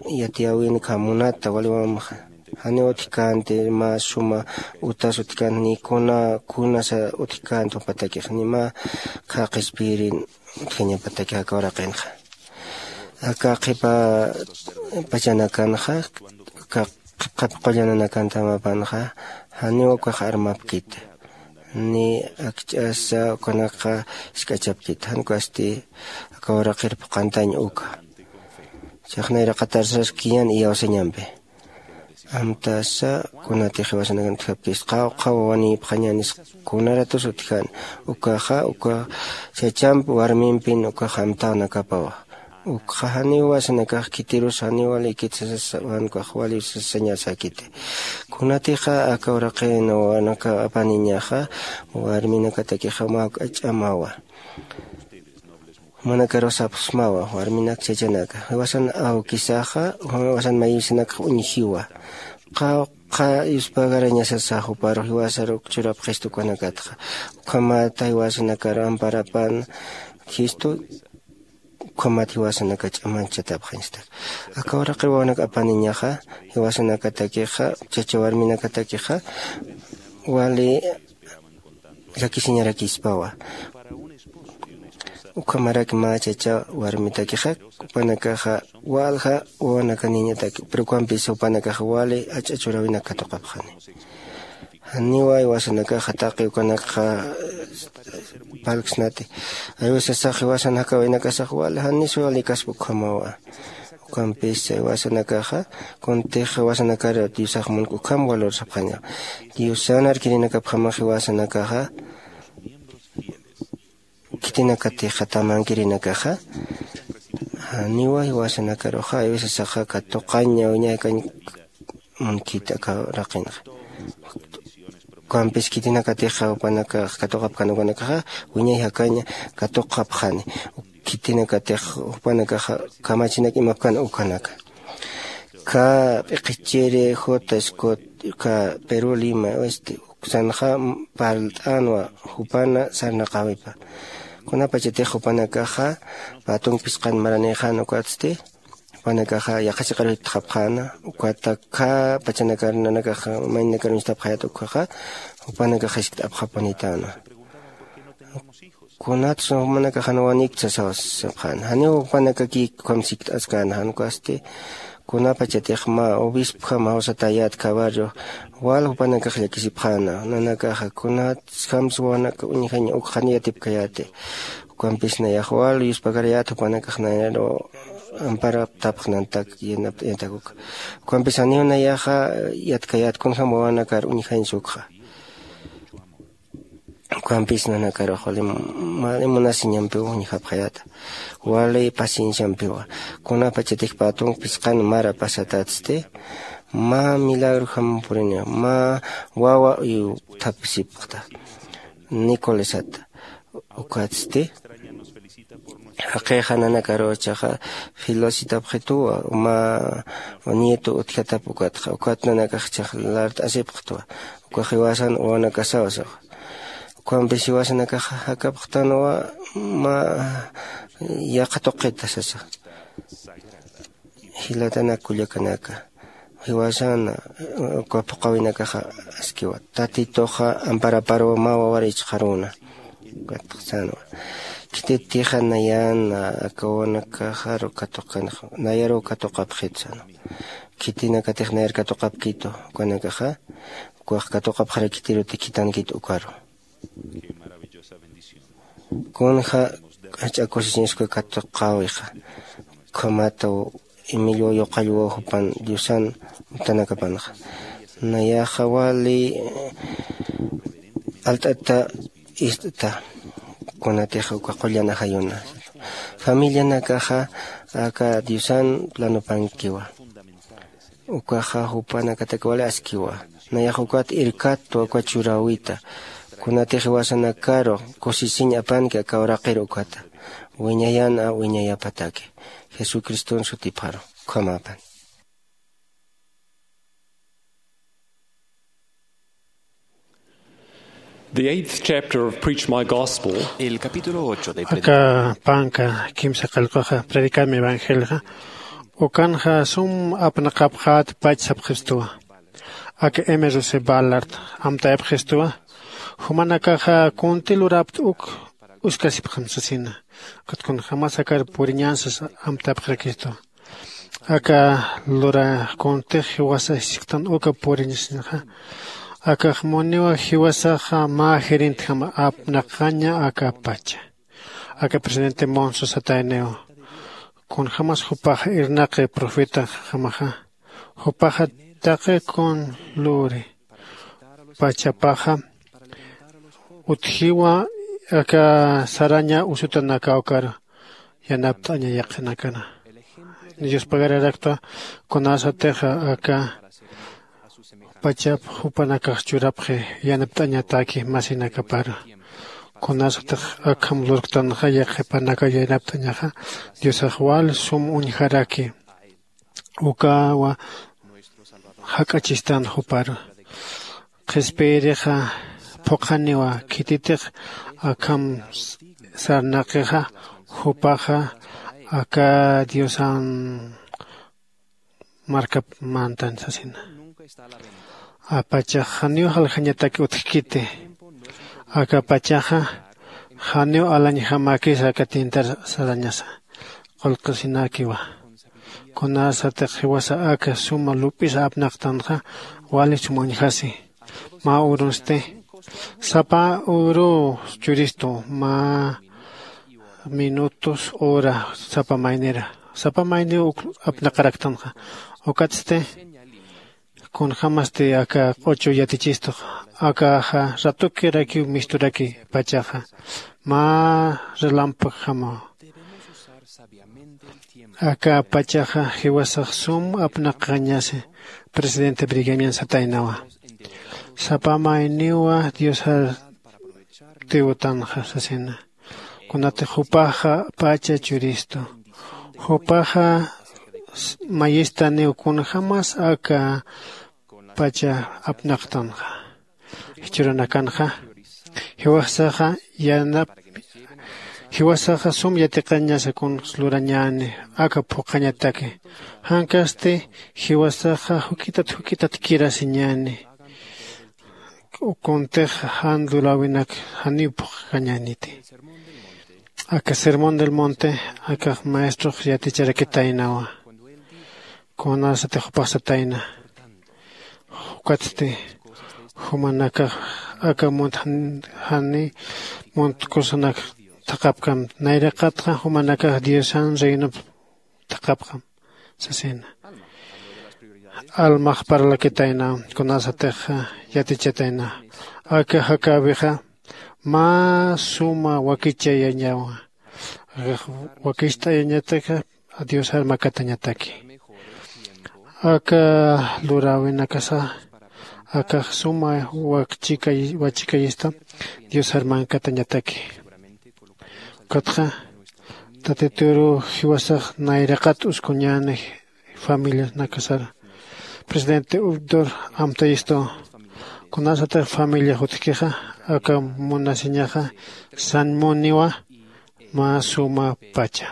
yatiyäwin kha munata waliwamxa janiw utjkänti mä suma utas utjkänti ni kuna kunasa utjkänti jupatakix ni mä kha qhispiyirin utjañapatakix aka uraqinxa. Aka qhipa pachanakanxa aka qhipa qullananakantamapänxa janiw ukax armapkiti ni akch'asa ukanakxa isk'achapkiti jan ukasti aka uraqir phuqhantañ uka. Chixnayraqatar saskiñan iyawsañampi. Amtasa kunatix jiwasanakan utjapkis qawqha wawanïpxañänis kunaratus utjän ukaxa uka chachamp warmimpin ukax amtawnakapawa. Ukxa janiw jiwasanakax khitirus janiw wali ikitsasas wan ukax wali sasañasäkiti. Kunatixa aka uraqin wawanaka apaniñaxa warminakatakixa mä juk'a ch'amawa. Jumanakarux sapxsmawa warminak chachanaka jiwasan awkisaxa jiwasan maywisanakxa uñjiwa. Qhawqha yuspagarañasasa juparux jiwasaruk churapxistu ukanakatxa. Ukhamata jiwasanakar amparapan jistu ukhamat jiwasanaka ch'amanchatapxañastak. Aka uraqir wawanak apaniñaxa jiwasanakatakixa chacha warminakatakixa wali llakisiñarakispawa. Ukhamarak mä chacha warmitakixa jupanakaxa walja wawanakaniñataki pero ukampis jupanakaxa wali ach'a churäwinak katuqapxani. Janiwa jiwasanakaxa taqi ukanakxa parlksnati. Aywisasax jiwasan jakäwinakasax wali janis wali kaspa ukhamawa. Ukampis jiwasanakaxa kuntix jiwasanakar diosax munk ukham valor sapxaña. Diosan arkirinakapjamax jiwasanakaxa khitinakatixa tamankirinakaxa janiwa jiwasanakaruxa aywisasaxa katuqaña wiñaykañ munkit aka raqinxa. Ukampis khitinakatixa jupanakax katuqapkan ukanakaxa wiñay jakaña katuqapxani. Khitinakatix jupanakaxa kamachinak imapkan ukanaka. Ka p'iqichiri juta scott ka perú lima oeste uksanxa parlt'anwa jupana sarnaqawipa. Kunapachatix jupanakaxa patunk phisqan maranïxan ukatsti jupanakaxa yaqha chiqaruy utjapxäna. Ukata kha pachanakar nanakaxa maynakar uñstapxayät ukhaxa jupanakaxa jiskt'apxapunitäna. Kunatsa jumanakax jan wanikta sasawa sapxäna janiw jupanakakïk ukham sikt'askäna jan ukasti. Kunapachatix mä obispjam jawsatäyät kha barrio wal jupanakax llakisipxäna nanakaxa kunatsa jamsa wawanak uñjañ ukxan yatipkayäti. Ukampis nayax wal yuspagarayät jupanakax nayaru amparaptapxnantak yanapt'añatak uka. Ukampis janiw nayaxa yatkayät kunjam wawanakar uñjañsa ukxa. Ukampis nanakarux wali wali munasiñampiw uñjapxayäta. Wali pacienciampiwa kunapachatix patunk phisqan mara pasatätsti mä milagrojam puriniwa mä wawa uyuthapisipxta. Nicolesata ukatsti Jaqixa nanakaruw chaxa filositapxituwa uma nieto utjatap ukatxa ukat nanakax chax lart'asipxtwa. Ukax jiwasan wawanakasaw saxa. Ukampis jiwasanakaxa jakapxtanwa uma yaqha tuqita sasa. Jilatanak kullakanaka, jiwasana uka phuqhawinakaxa askiwa tatituxa amparaparuw mä wawar ichqaruna. Ukatxsanwa khititixa nayana aka wawanakaxaru katuqkanxa nayaruw katuqapxit sanwa. Khitinakatix nayar katuqapkitu ukanakaxa ukax katuqapxarakitiruti khitankit ukaru. Kunja jach'a kusisiñas uka katuqäwixa ukhamataw emilio yuqallwaw jupan diosan utanakapanxa. Nayaxa wali alt'ata ist'ta kunatix uka qullan ajayuna familianakaxa aka diosan planupankiwa. Ukaxa jupanakataki wali askiwa. Nayax ukat irkatwa uka churäwita kunatix jiwasanakaru kusisiñ apanki aka uraqir ukata wiñayan a wiñayapataki jesucriston sutipxaru. Ukhamapan. The eighth chapter of Preach My Gospel. El capítulo ocho de Aka panka kimsa qallqaxa predicami evangelja ukanxa sum apnaqapxät pach sapxistuwa. Aka emeruse balart amtayapxistuwa. Jumanakaxa kunti lurapta uk uskasipxam sasina. Ukat kunjämas akar puriñänsas amtapxirakistuwa. Aka lura kuntix jiwasa jisktan uka puriñasinxa. Akax muniwa jiwasaxa mä gerentjama apnaqaña aka pacha. Aka presidente monso satayniwa kunjämas jupaxa irnaqi profetajamaxa jupaxa taqi kun luri pachapaxa utjiwa aka saraña usutanakawkar yanapt'aña yaqinakana. Dios pagararaktwa kunasatixa aka pachap jupanakax churapxi yanapt'añataki masinakapar. Kunasatix akham lurktanxa yaqhipanaka yanapt'añaxa diosax wal sum uñjaraki ukawa jak'achistan jupar. Qhispiyirixa phuqhaniwa khititix akham sarnaqixa jupaxa aka diosan markap mantan sasina. Apachax janiw jaljañataki utjkiti. Aka pachaxa janiw alañjamakis aka tintar sarañasa qullqisinakiwa. Kunasatix jiwasa aka suma lup'isa apnaqtanxa wali suma uñjasi. Mä urunsti sapa uru churistu mä minutos hora sapa maynira sapa mayniw uk apnaqaraktanxa. Ukatsti kunjämasti aka q'uchu yatichistux akaxa ratukirakiw misturaki pachaxa mä relampajjamaw. Aka pachaxa jiwasax sum apnaqañasi presidente brigamian sataynawa. Sapa mayniwa diosar tiwtanxa sasina. Kunatix jupaxa pacha churistu jupaxa mayistaniw kunjämas aka pacha apnaqtanxa. Jichhürunakanxa jiwasaxa yanap jiwasaxa sum yatiqañasa kuns lurañäni aka phuqhañataki. Jankasti jiwasaxa juk'itat juk'itatkirasiñäni. Kuntix jan luräwinak janiw phuqhañäniti. Aka sermón del monte akax maestrox yaticharakitaynawa. Kunasatix jupax satayna ukatsti jumanakax aka munt jani muntkusanak thaqhapkam nayraqatxa jumanakax diosan reinop thaqhapxam sasina. Almax parlakitayna kunasatix yatichatayna aka jakäwixa mä suma wakichayañawa. Akax wakicht'ayañataka diosar makatañataki. Aka luräwinakasa akax suma wachikayista diosar mankatañataki. Ukatxa Tatituru jiwasax nayraqat uskuñäni familianakasara. Presidente Updor amtayistu, kunasatix familia jutkixa aka munasiñaxa sañmuniwa mä suma pacha.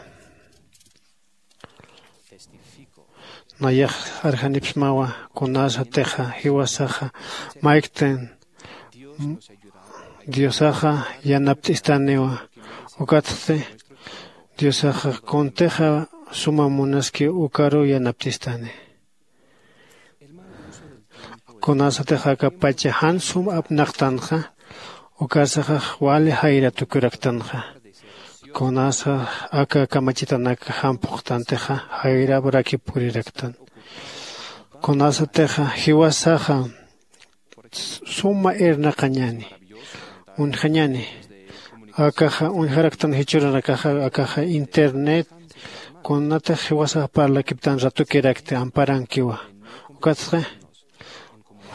Nayax arjanipsmawa kunasatixa jiwasaxa mayktan diosaxa yanapt'istaniwa. Ukatsti diosaxa kuntixa suma munaski ukaru yanapt'istani. Kunasatix aka pacha jan sum apnaqtanxa ukasaxax wali jayra tukuraktanxa. Kunasa aka kamachitanak jan phuqtantixa jayraprakip puriraktan. Kunasatixa jiwasaxa suma irnaqañani uñjañani. Akaxa uñjaraktan jichhürunakaxa akaxa internet kunatix jiwasax parlakiptan ratukirakti amparankiwa. Ukatxa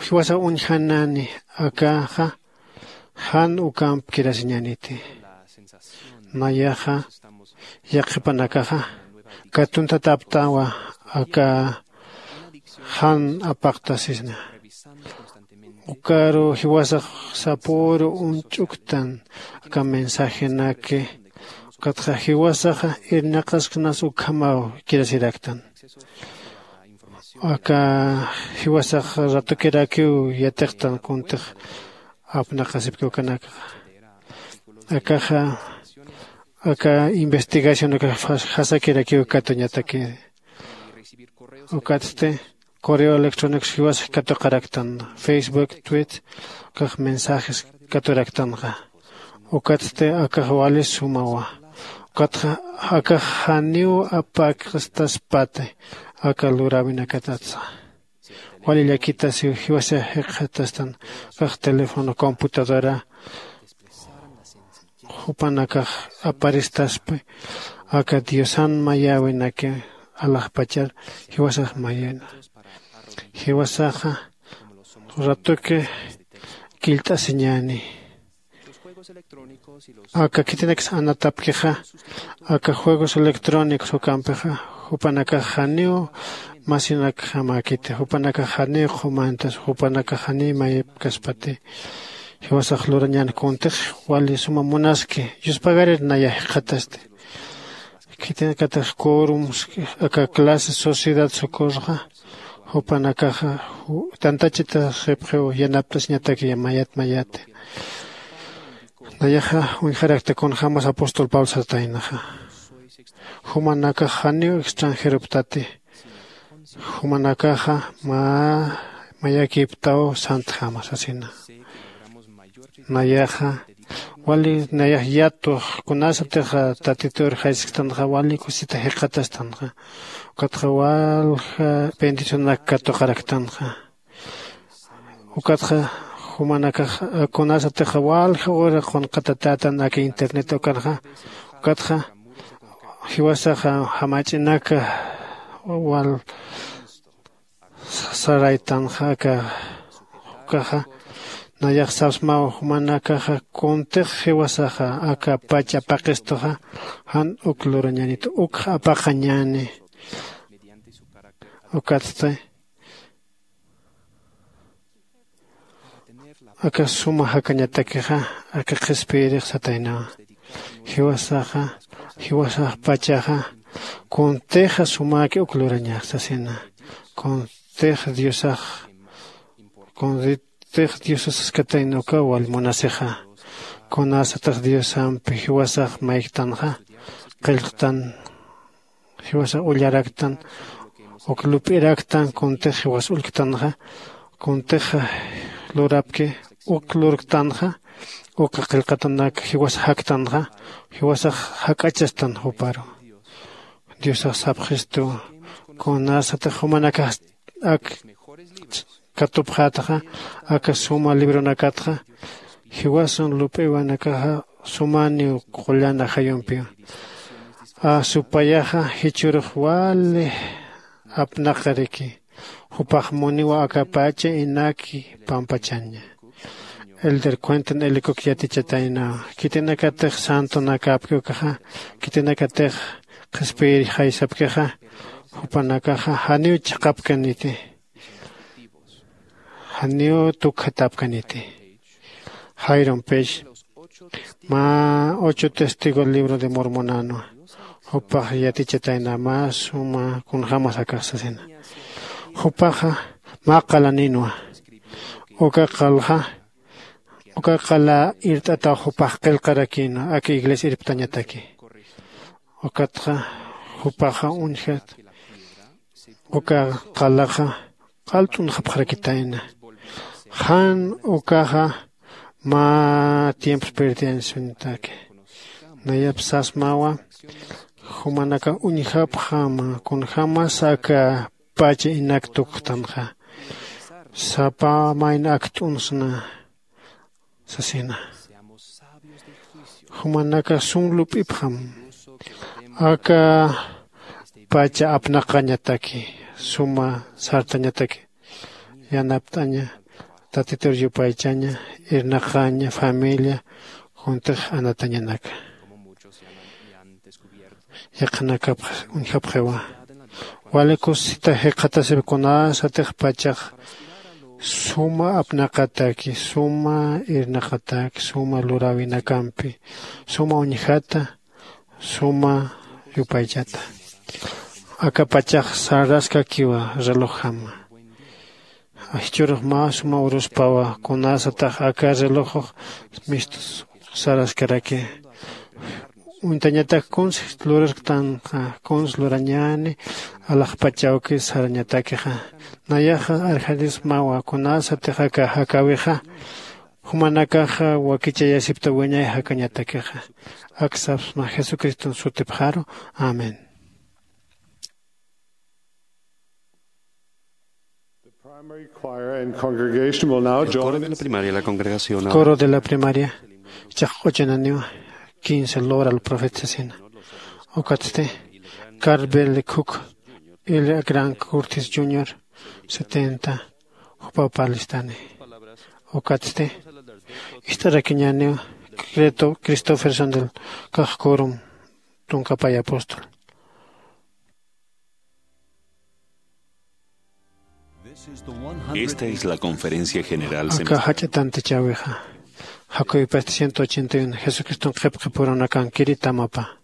jiwasax uñjanani akaxa jan ukamp kirasiñaniti. Nayaxa yaqhipanakaxa katuntataptawa aka jan apaqtasisna. Ukaru jiwasax sapüru uñch'uktan aka mensajenaki. Ukatxa jiwasaxa irnaqasknas ukhamaw kirasiraktan. Aka jiwasax ratukirakiw yatiqtan kuntix apnaqasipki ukanakaxa. Akaxa aka investigación ukax jasakirakiw katuñataki. Ukatsti correo electrónicos jiwasax katuqaraktan, facebook, tweet ukax mensajes katuraktanxa. Ukatsti akax wali sumawa. Ukatxa akax janiw apakstaspati aka luräwinakatatsa. Wali llakitasiw jiwasa jikxatastan. Akax teléfono computadora jupanakax aparistaspi aka diosan mayäwinaki alaxpachar jiwasax mayäna. Jiwasaxa ratuki killt'asiñäni. Aka khitinaksa anatapkixa aka juegos electrónicos ukampixa jupanakax janiw masinakjamäkiti jupanakax janiw qhumantas jupanakax janiw mayipkaspati. Jiwasax lurañän kuntix wali suma munaski yuspagarir naya jikxatasti. Khitinakatix quorums aka clase sociedad socorroxa jupanakaxa tantachita sipxiw yanapt'asiñataki mayat mayati. Nayaxa uñjarakta kunjämas apóstol pablo sataynaxa jumanakax janiw extranjeroptati. Jumanakaxa mä mayakiptaw santjama sasina. Nayaxa wali nayax yatux kunasatix tatitur jaysktanxa wali kusita jikxatastanxa. Ukatxa walja bendicionanak katuqaraktanxa. Ukatxa jumanakax kunasatixa walja ura qunqatatätan aka internet ukanxa. Ukatxa jiwasaxa jamach'inaka wal saraytanxa aka ukaxa. Nayax sapsmaw jumanakaxa kuntix jiwasaxa aka pach apaqistuxa jan uk lurañänit ukx apaqañäni. Ukatsti aka suma jakañatakixa aka qhispiyirix sataynawa. Jiwasaxa jiwasax pachaxa kuntixa sumäki uk lurañax sasina. Kuntix diosax kuntix diosasaskatayna ukaw wal munasixa. Kunasatix diosampi jiwasax mayktanxa qillqtan jiwasax ullaraktan uk lup'iraktan kuntix jiwas ullktanxa. Kuntix lurapki uk lurktanxa uka qillqatanak jiwas jaktanxa. Jiwasax jak'achastan juparu. Diosax sapxistu kunasatix jumanakax ak katupxätxa aka suma libronakatxa jiwasan lup'iwanakaxa sumaniw qullan ajayumpiw. Asupayaxa jichhürux wali apnaqariki jupax muniwa aka pacha inaki pampachaña. Elder Quentin L. Cook yatichatayna, khitinakatix santonakapki ukaxa, khitinakatix qhispiyir jaysapkixa, jupanakaxa janiw chiqapkaniti, janiw tukjatapkaniti. Jairon Pech, mä ocho testigo libro de Mormonanwa, jupax yatichatayna mä suma kunjämas akax sasina. Jupaxa mä qalaninwa, uka qalxa uka qala irt'ataw jupax qillqarakïnwa aka iglesia irptañataki. Ukatxa jupaxa uñjat uka qalaxa q'al t'unxapxarakitayna. Jan ukaxa mä tiempos perdiansuñataki. Nayap sasmawa, jumanaka uñjapxama kunjämas aka pacha inak tukxtanxa, sapa mayna akt'unsna sasina. Jumanaka sum lup'ipxam aka pacha apnaqañataki, suma sartañataki. Yanapt'aña, Tatitur yupaychaña, irnaqaña, familia, juntix anatañanaka. Yaqhanakapx uñjapxiwa. Wali kusisita jikxatasip kunasatix pachax suma apnaqataki, suma irnaqataki, suma luräwinakampi, suma uñjata, suma yupaychata. Aka pachax saraskakiwa relojjama. Jichhürux mä suma uruspawa, kunasatix aka relojux mistus saraskaraki. Uñtañatak kuns lurarktanxa, kuns lurañäni alaxpachawki sarañatakixa. Nayaxa arjarismawa, kunasatix aka jakäwixa jumanakaxa wakichayasipta wiñay jakañatakixa. Ak sapsma Jesucriston sutipxaru. Amén. The primary choir and congregation will now El coro de join. La primaria, la congregación ahora. Coro de la primaria. Chaq q'uchananiwa quince lora al profeta sasina. Ukatsti Carvel Cook, Ilya Grant Curtis junior, setenta, jupaw parlistani. Ukatsti ist'arakiñäniw Creto Christopherson del Cajacorum, tunka pay apóstol. Esta es la conferencia general. Aka semestral. Jach'a tantichäwixa. Jakuypasti ciento ochenta y uno, Jesucriston qhipqipurunakankiri tamapa.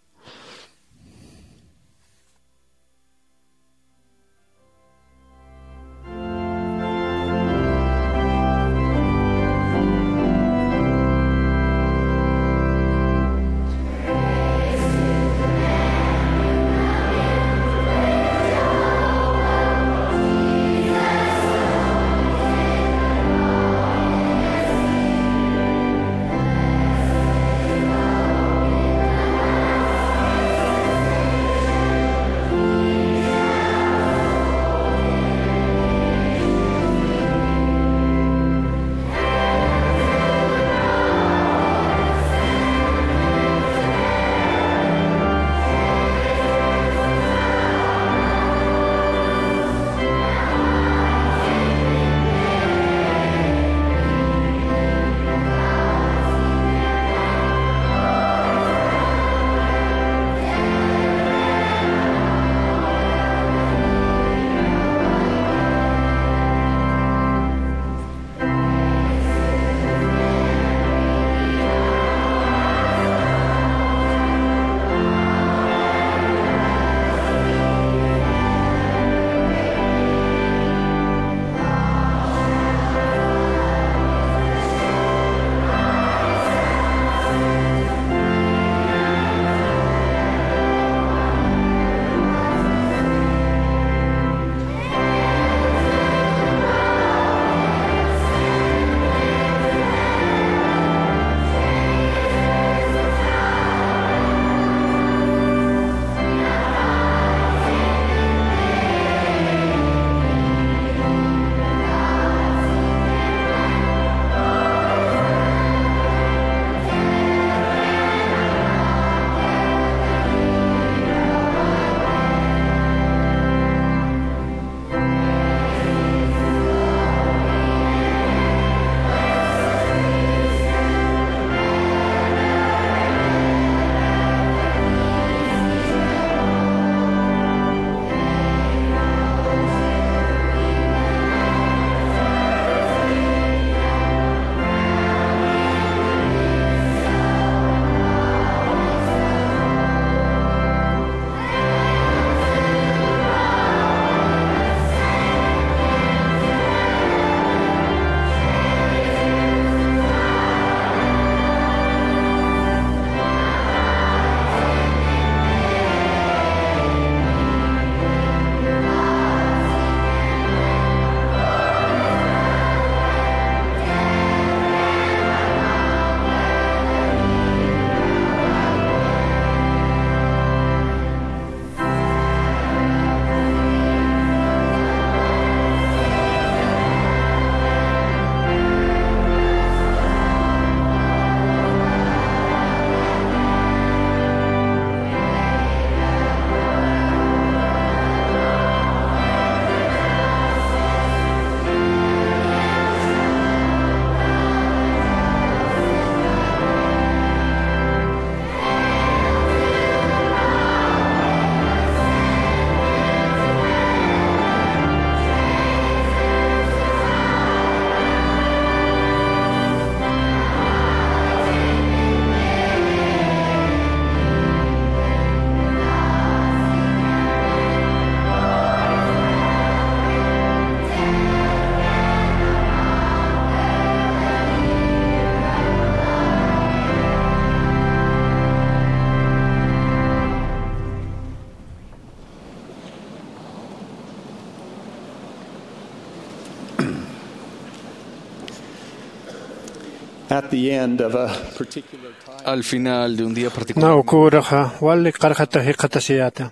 At the end of a particular time, al final de un día particular, na uküruxa wali qarxata jiqatasiyäta.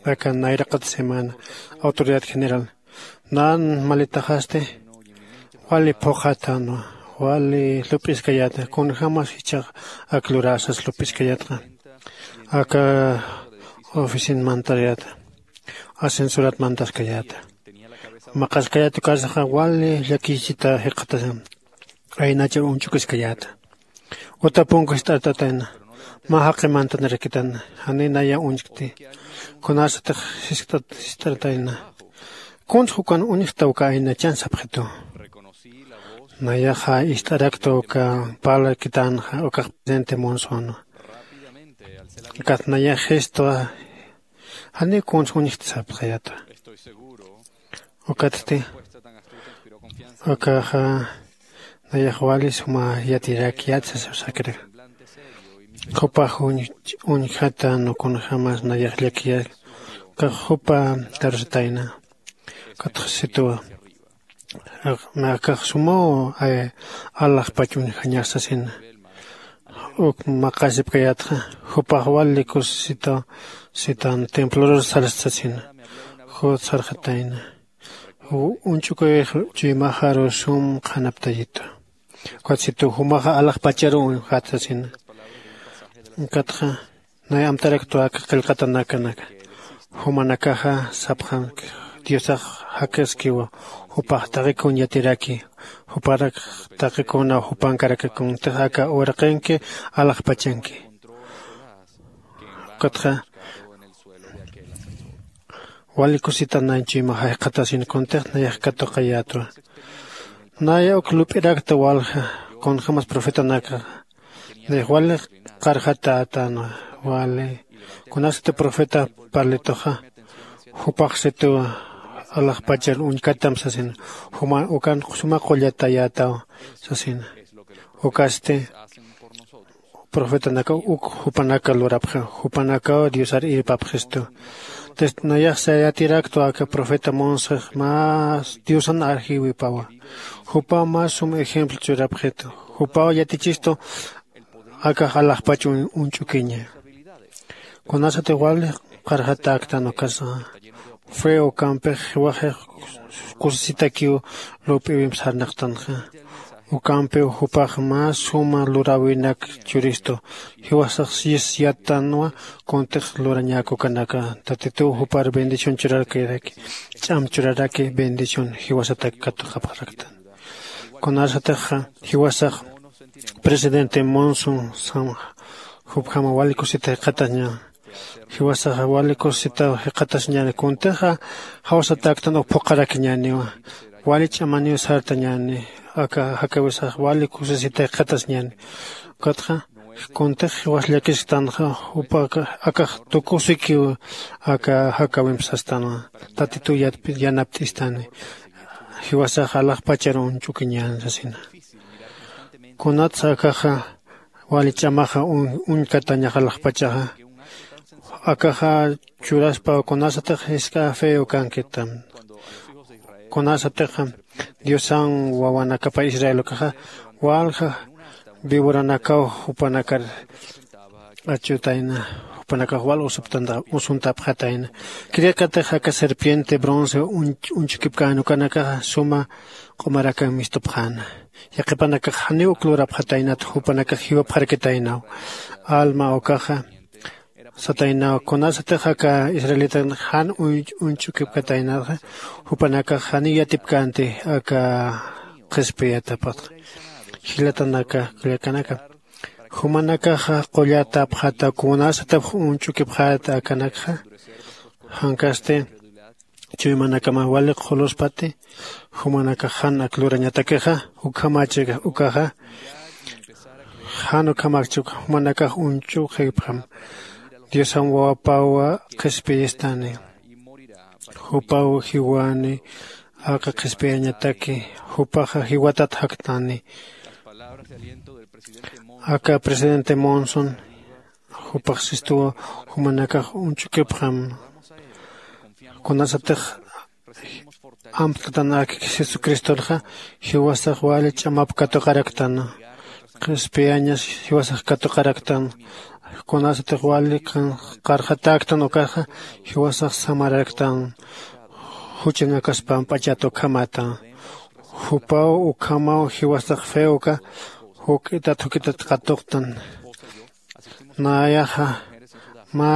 Aka nayraqat semana, autoridad general nan malitaxasti wali phuqhatanwa, wali lup'iskayäta, kunjämas jichhax ak luräsas lup'iskayätxa. Aka oficinamantayäta, ascensorat mantaskayäta, maqaskayäta, ukasaxa wali llakichita jiqatasa, aynachar uñch'ukiskayäta. Uta punku jist'artatayna, mä jaqi mantanarakitana, janiy naya uñchkti. Kunasatix jiskt'at jist'artayna, kuns ukan uñjkta uka aynachan sapxitu. Nayaxa ist'arakta uka parlakitänxa ukax presidente Monsonwa. Ukat nayax jistwa, janiw kuns uñjkta sapxayäta. Ukatsti ukaxa nayax wali suma yatirak yatsa sasakra. Jupax uñjatan kunjämas nayax llakiyäk. Ukax jupa karusatayna. Ukatxa situwa, akax sumaw alaxpach uñjañax sasina. Uk maqasipkayätxa, jupax wali kusisita sitan templorus sarsta sasina. Jut sarxatayna, uñch'ukuyix chuymaxaru sum qhanaptayitu. Ukat situ jumaxa alaxpacharu uñjat sasina. Ukatxa nay amtaraktwa aka qillqatanakanaka. Jumanakaxa sapxanki, Diosax jakaskiwa, jupax taqikun yatiraki, juparak taqikuna jupankaraki, kuntix aka uraqinki alaxpachanki. Ukatxa wali kusita nay chuymaxa jiqatasin, kuntix nayax katuqayätwa. Naya uk lup'irakta walja kunjämas profetanakaxa. Nayax wali qarxatätänwa, wali kunasati profeta parlituxa, jupax situ alaxpachar uñkatam sasina. Juma ukan suma qullatayätaw sasina. Ukasti profetanakaw uk jupanaka lurapxi, jupanakaw Diosar irpapxistu. Entonces nayax sayatiraktwa aka profeta Monsex más Diosan arjiwipawa. Jupaw más sum ejemplo churapxitu. Jupaw yatichistu akax alaxpach uñch'ukiña. Kunasatix wali qarxatäktan ukasa, fe ukampix jiwaxix kusisitakiw lup'iwimp sarnaqtanxa. Ukampiw jupax mä suma luräwinak churistu. Jiwasax yis yattanwa, kuntix lurañäk ukanaka. Tatituw jupar bendición churarkiraki, ch'am churaraki bendición jiwasatak katuqapxaraktan. Kunasatixa jiwasax presidente Monson sam jupjama wali kusita jiqataña. Jiwasaxa wali kusita jiqatasiñäni, kuntixa jawsatäktan uk phuqharakiñäniwa. Wali ch'amaniw sartañäni, aka jakawisax wali kusisita jiqatasiñäni. Ukatxa kuntix jiwas llakisktanxa, jupa akax tukusikiw aka jakawimp sastanwa. Tatituw yanapt'istani, jiwasax alaxpachar uñch'ukiñän sasina. Kunatsa akaxa wali ch'amaxa uñkatañax alaxpachaxa, akaxa churaspa kunasatix jisk'a fe ukankitam. Kunasatixa Diosan wawanakapa Israel ukaxa walja vivoranakaw jupanakar achutayna, jupanakax wal usuntapxatayna. Kirikatix aka serpiente bronce uñch'ukipkän ukanakaxa suma q'umarakan mistupxäna. Yaqhipanakax janiw uk lurapxataynat, jupanakax jiwapxarkitaynaw. Alma ukaxa sataynaw, kunasatix aka israelitanak jan uñch'ukipkataynatxa, jupanakax janiw yatipkänti aka qhispiyatapxta. Jilatanaka kullakanaka, jumanakaxa qullatapxata kunasatix uñch'ukipxäta akanakxa. Jankasti chuymanakama wali qhuluspati, jumanakax jan ak lurañatakixa, ukhamachix ukaxa jan ukhamakchik jumanakax uñch'ukipxam. Diosam wawapaw qhispiyistani, jupaw jiwani aka qhispiyañataki, jupaxa jiwatat jaktani. Aka presidente Monson jupax sistuwa jumanakax uñch'ukipxam. Kunasatix amt'ktan ak Jesucristorxa, jiwasax wali ch'amap katuqaraktan. qhispiyañas jiwasax katuqaraktan. Kunasatix wali qarxatäktan ukaxa jiwasax samararaktan. Juchanakaspamp achata ukhamata jupaw ukhamaw jiwasax feoka juk'itat juk'itat qatuqtan. Nayaxa mä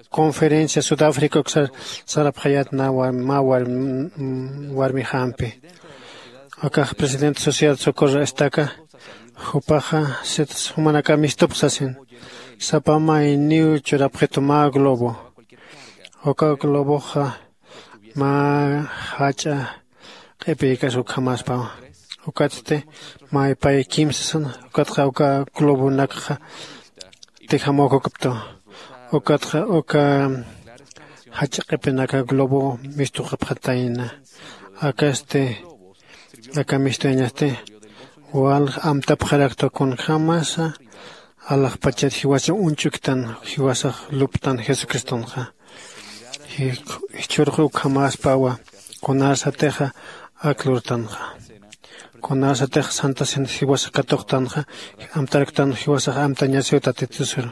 conferencia sudafrica uksar sarapxayat na mä warmixampi. Akax presidente sociedad socorro estaka jupaxa sitas jumanaka mistupxsasin. Sapa mayniw churapxitu mä globo. Uka globoxa mä jach'a q'ipiykas ukhamaspawa. Ukatsti maypay kimsasan ukatxa uka globonakxa tijamukukuptu. Ukatxa uka jach'a q'ipinaka globo mistuqapxatayna. Akasti aka mistuyañasti wal amtapxarakta kunjämasa alaxpachat jiwasa uñch'uktan jiwasax luptan jesucristonxa. Jichhurux ukhamäspawa kunasatixa ak lurtanxa. Kunasatixa santasin jiwasa katuqtanxa amtaraktan jiwasax amtañasiw tatitusur.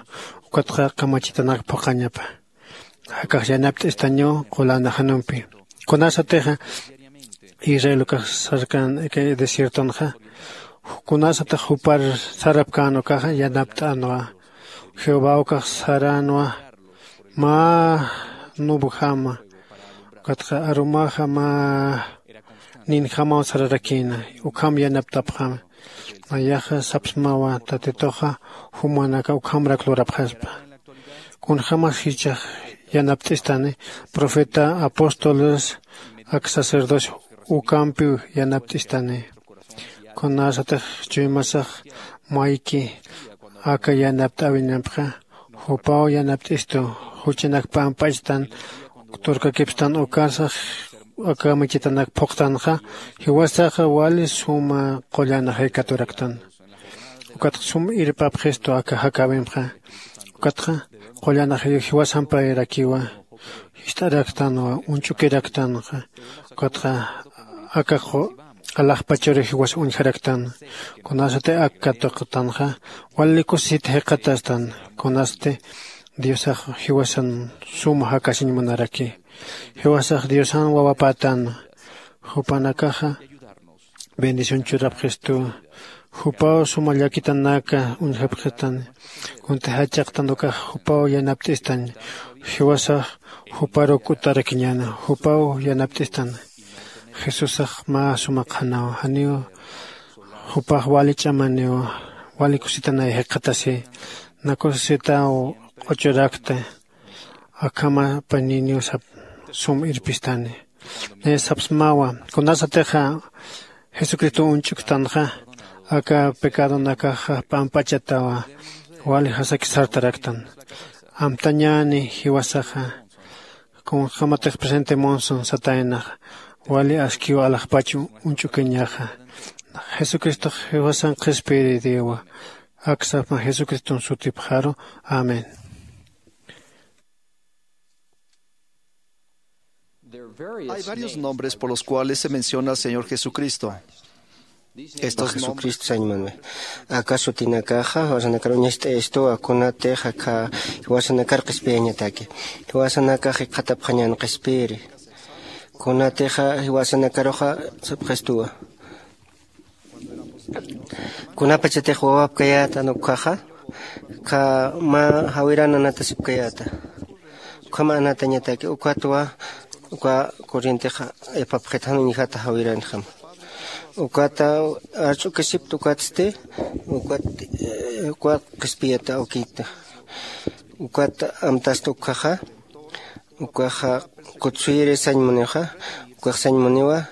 Ukatxa kamachitanak phuqañapa. Jakax yanapt'istañaw qulana janumpi. Kunasatixa israel ukax sarkan desiertonxa kunasatix jupar sarapkän ukaxa yanapt'änwa. Jehová ukax saränwa mä nubjama ukatxa arumaxa mä ninjamaw sararakïna. Ukham yanapt'apxama. Nayaxa sapsmawa tatituxa jumanaka ukhamrak lurapxaspa. Kunjämas jichhax yanapt'istani profeta apóstoles ak sacerdocio ukampiw yanapt'istani. Kunasatix chuymasax mayki aka yanapt'äwinampixa jupaw yanapt'istu juchanak pamp'achtan turkakipstan ukasax aka michitanak phuqtanxa jiwasaxa wali suma qullan jikaturaktan. Ukatxa sum irpapxistu aka jakäwimxa. Ukatxa qullan jiwasampayrakiwa jist'araktanwa uñch'ukiraktanxa. Ukatxa aka alaxpachuri jiwas uñjaraktan. Kunasati ak katuqtanxa wali kusisit jikxatastan. Kunasti diosax jiwasan suma jakasiñ munaraki. Jiwasax diosan wawapätan. Jupanakaxa bendición churapxistuwa. Jupaw suma llakitanaka uñjapxitan. Kunti jach'aqtan ukax jupaw yanapt'istan. Jiwasax juparu k'utarakiñäna jupaw yanapt'istan. Jesusax mä suma qhanaw janiw jupax wali ch'amaniw wali kusitanay jikxatasi. Nakusisitaw q'uchurakta akhama paniniw sap sum irpistani. Naya sapsmawa kunasatixa jesucristo uñch'uktanxa aka pecadonakaxa p'amp'achatawa wali jasaki sartaraktan. Amtañäni jiwasaxa kunjämatix presente munsun sataynaxa wali askiw alaxpach uñch'ukiñaxa. Jesucristox jiwasan qhispiyiridiwa. Aksapma jesucriston sutipxaru. Amén. Hay varios nombres por los cuales se menciona al Señor Jesucristo. Estos nombres jesucristo sañmanme aka sutinakaxa jiwasanakar uñast'ayastuwa kunatix aka jiwasanakar qhispiyañataki. Jiwasanakax jikxatapxañän qhispiyiri kunatixa jiwasanakaruxa sapxistuwa. Kunapachatix wawapkayätan ukhaxa mä jawiran anatasipkayäta. Ukham anatañataki ukatwa uka corrientexa ipapxit jan uñjata jawiranjama. Ukata arch'ukisipta ukatsti ukat ukat qhispiyata awkita. Ukat amtasta ukhaxa ukaxa kutsuyiri sañ munixa. Ukax sañ muniwa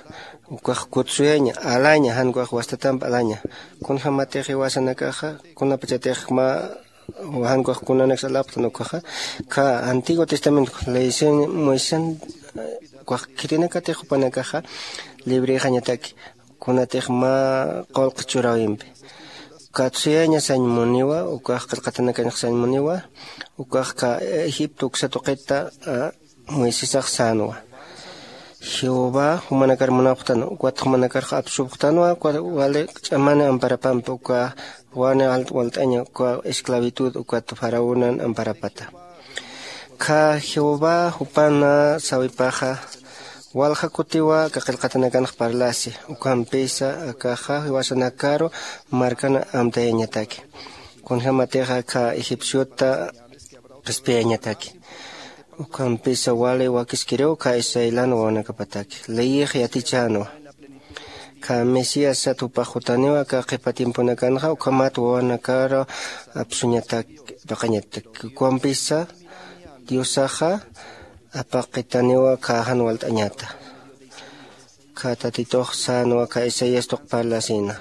ukax kutsuyaña alaña jan ukax wastatamp alaña. Kunjämatix jiwasanakaxa kunapachatix mä jan ukax kunanaksa alapxtan ukaxa ka antiguo testamento leysin moisesan ukax khitinakatix jupanakaxa librexañataki kunatix mä qullqi churäwimpi. Katsuyaña sañ muniwa ukax qillqatanakañax sañ muniwa ukax ka egipto uksa tuqita moisesax sänwa. Jehová jumanakar munapxtan ukat jumanakarxa apsupxtanwa ukat wali ch'amani amparapampi uka wani alt walt'aña uka esclavitud ukat faraonan amparapata. Kha jehová jupana sawipaxa walja kutiwa aka qillqatanakanx parlasi ukampisa akaxa jiwasanakaru markan amtayañataki. Kunjämatixa kha egipciota qhispiyañataki. Ukampisa wali wakiskiriw kha israelan wawanakapataki leyix yatichänwa. Kha mesías sat jupax jutaniwa kha qhipa tiemponakanxa ukhamat wawanakar apsuñatak paqañatak. Ukampisa diosaxa apaqitaniwa kha jan walt'añata. Kha tatitux sänwa kha isaías tuq parlasïna.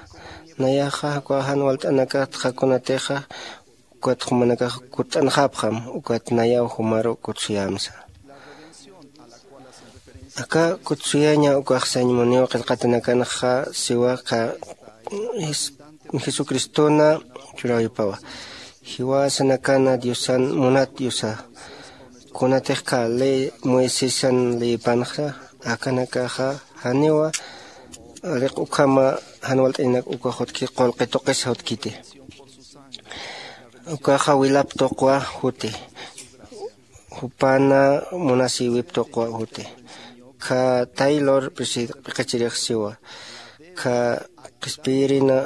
Nayaxa kha jan walt'anakatxa kunatixa ukat jumanakax kutt'anxapxam ukat nayaw jumaru kutsuyämsa. Aka kutsuyaña ukax sañ muniw qillqatanakanxa siwa kha jesucristona churäwipawa. Jiwasanakana diosan munat diosa kunatix kha ley moisesan leyipanxa akanakaxa janiwa aliq ukhama jan walt'añanak ukax utki qullqi tuqisa utkiti. Ukaxa wilap tuqwa juti jupana munasïwip tuqwa juti. Kha taylor p'iqachirix siwa kha qhispiyirina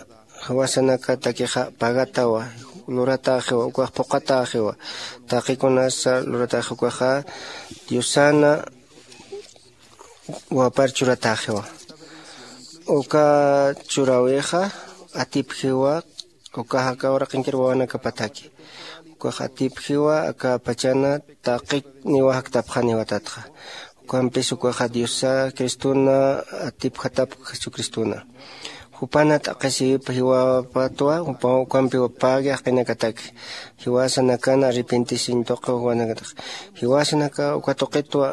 jiwasanakatakixa pagatawa luratäxiwa ukax phuqhatäxiwa. Taqikunasa luratäxi ukaxa diosana wapar churatäxiwa. Uka churäwixa atipjiwa ukax aka uraqinkir wawanakapataki. Ukax atipjiwa aka pachana taqi niwa jaktapxaniwatatxa. Ukampis ukaxa diosa cristona atipjatapk jesucristona. Jupana t'aqhisiwip jiwapatwa jupaw ukampiwa pagi jaqinakataki. Jiwasanakana arrepentisiñ tuqi juwanakataki. Jiwasanaka uka tuqitwa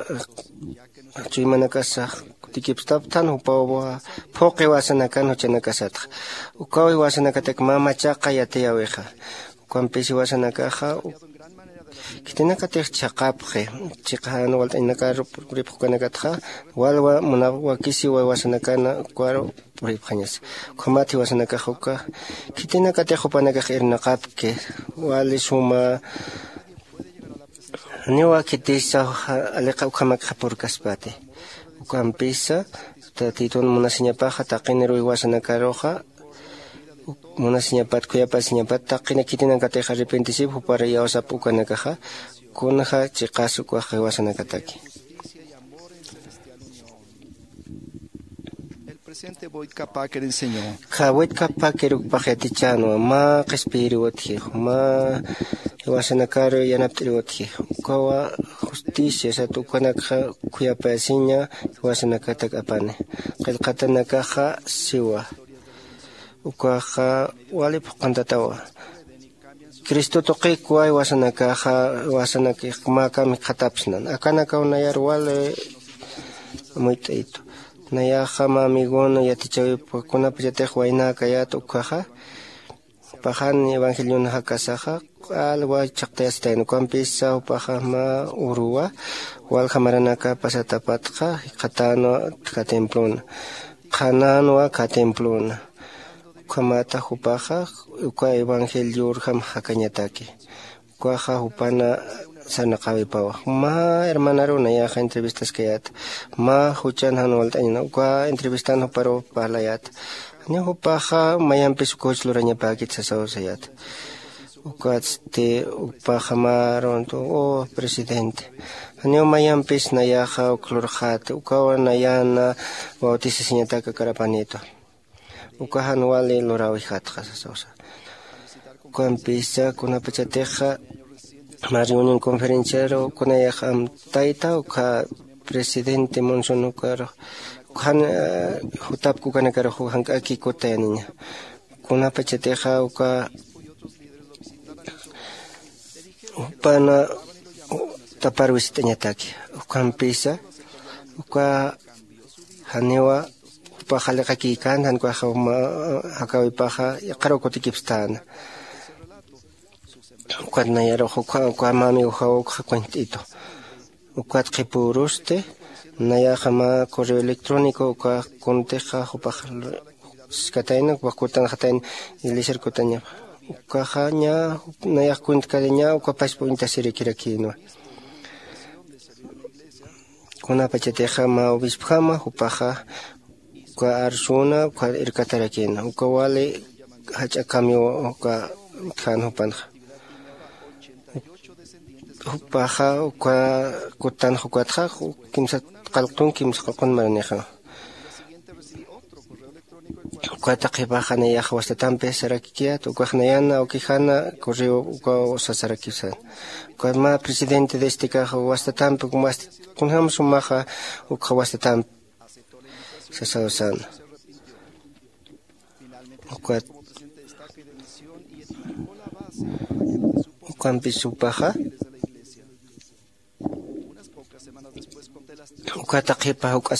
chuymanakasa kutikipstapthan jupaw phuqi jiwasanakan juchanakasatxa. Ukaw jiwasanakatak mä machaqa yatiyäwixa. Ukampis jiwasanakaxa khitinakatix chhaqapxi. Chiqa jan walt'añanakar puripxukanakatxa walwa munap wakisiwa jiwasanakana ukaru puripxañasa. Ukhamat jiwasanakax uka khitinakatix jupanakax irnaqapki wali suma janiwa khitisa aliqa ukhamakxa purkaspati. Ukampisa tatitun munasiñapaxa taqiniruw jiwasanakaruxa munasiñapat khuyapasiñapat taqina khitinakatix arrepentisip jupar iyawsap ukanakaxa. Kunja chiqas ukax jiwasanakataki. Kha waytkapakir ukpax yatichänwa mä qhispiyiriw utji mä jiwasanakar yanapt'iriw utji. Ukawa justicia sat ukanakxa khuyapayasiña jiwasanakatak apani. Qillqatanakaxa siwa ukaxa wali phuqhantatawa. Cristo tuqikwa jiwasanakaxa jiwasanakix mä kamikxatapsnan akanakaw nayar wali muyt'aytu. Nayaxa mä amigon yatichäwipwa kunapachatix waynäkayät ukkhaxa paxan evangelion jakasaxa q'al way chhaqtayasitayn ukampisa jupaxa mä uruwa walja maranaka pasatapatxa jikxatänwa kha templona qhanänwa kha templona. Ukhamata jupaxa uka evangeliorjam jakañataki. Ukaxa jupana sarnaqäwipawa mä hermanaruw nayaxa entrevistaskayäta mä juchan jan walt'añana uka entrevistan juparuw parlayäta. Janiw jupaxa mayampis uka juch lurañapäkit sasaw sayäta. Ukatsti jupaxa märuntu u presidente janiw mayampis nayaxa uk lurxäti ukawa nayana bautisasiñatak akar apanïtwa. Uka jan wali luräwijatxa sasawsa. Ukampisa kunapachatixa mä reunión conferenciaru kunayax amtayta ukha presidente monson ukarux ukhan jutapk ukanakarux jank'aki kutayaniña. Kunapachatixa uka jupana taparwisit'añataki ukampisa uka janiwa jupaxa liqakïkän jan ukaxa jakawipaxa yaqharuw kutikipstäna. Ukat nayarux ukha uka mä amigoxaw ukxa cuent'itu ukat qhipürusti Nayaxa mä correo electrónico uka kuntixa jupax, skatayna uka kutanxatayna, iglesiar kutañapa. Ukaxa ña nayax kuntkariña uka paspa uñtasirikirakïnwa. Kunapachatixa mä obispjama jupaxa uka arsuna uka irkatarakïna uka wali jach'a cambio uka utjän jupanxa. Jupaxa uka kutanxa ukatxa kimsa qalqtun kimsa qalqun maranixa. Ukata qhipaxa nayax wastatampi sarakikiyät ukax nayana awkijana correo uka sasarakisan. Ukat mä presidente de estekaxa wastatampi kunjäm sumaxa ukxa wastatampi sasawasana. Ukat ukampis jupaxa ukata qhipa juk'a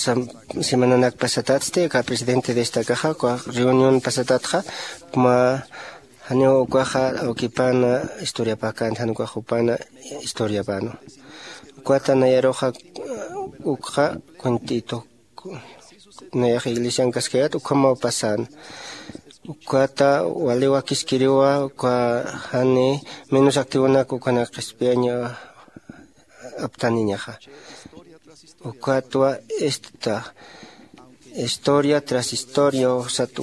semananak pasatatsti aka presidente de estekaxa uka reunión pasatatxa mä janiw ukaxa awkipana historiapäkänti jan ukax jupana historiapänu. Ukata nayaruxa ukxa cuentitu nayax iglesian kaskayät ukhamaw pasän. Ukata wali wakiskiriwa uka jani menos activonak ukanak qhispiyañ aptaniñaxa. Ukatwa esta historia tras historia sat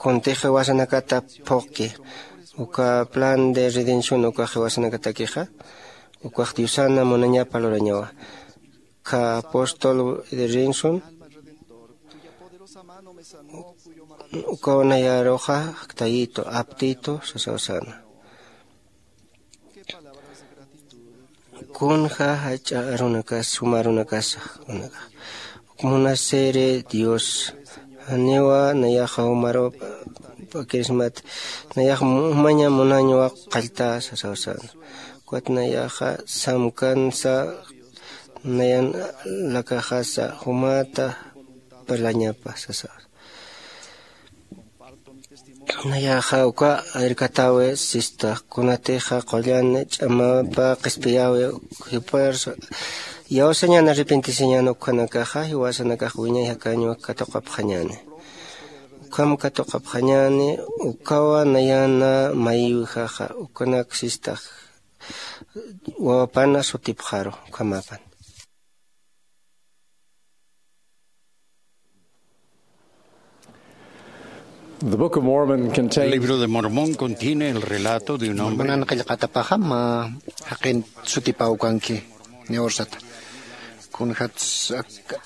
kuntixa jiwasanakata phuqki uka plan de redención ukax jiwasanakatakixa ukax diosana munañapa lurañawa. Ka apóstol de rinsun ukaw nayaruxa aktayito aptito sasawasana. Kunja jach'a arunakas suma arunakasa unakax ukmunasiri dios janiwa nayaxa jumaru pakirismat nayax jumaña munañwa qallta sasawasana. Ukat nayaxa samkansa nayan lakaxasa jumata parlañapa sasa. Nayaxa uka irkatawi sista kunatixa qullan ch'amapa qhispiyawi jipar yawsañana arrepentisiñana ukhanakaxa jiwasanakax wiñay jakañwa katuqapxañani. Ukham katuqapxañani ukawa nayana maywijaxa ukanak sistax wawapana sutipxaru ukhamapan. El libro de Mormón contiene el relato de un hombre. Mormonan qillqatapaxam jaqin sutipaw kanki niwrsata. Kunjats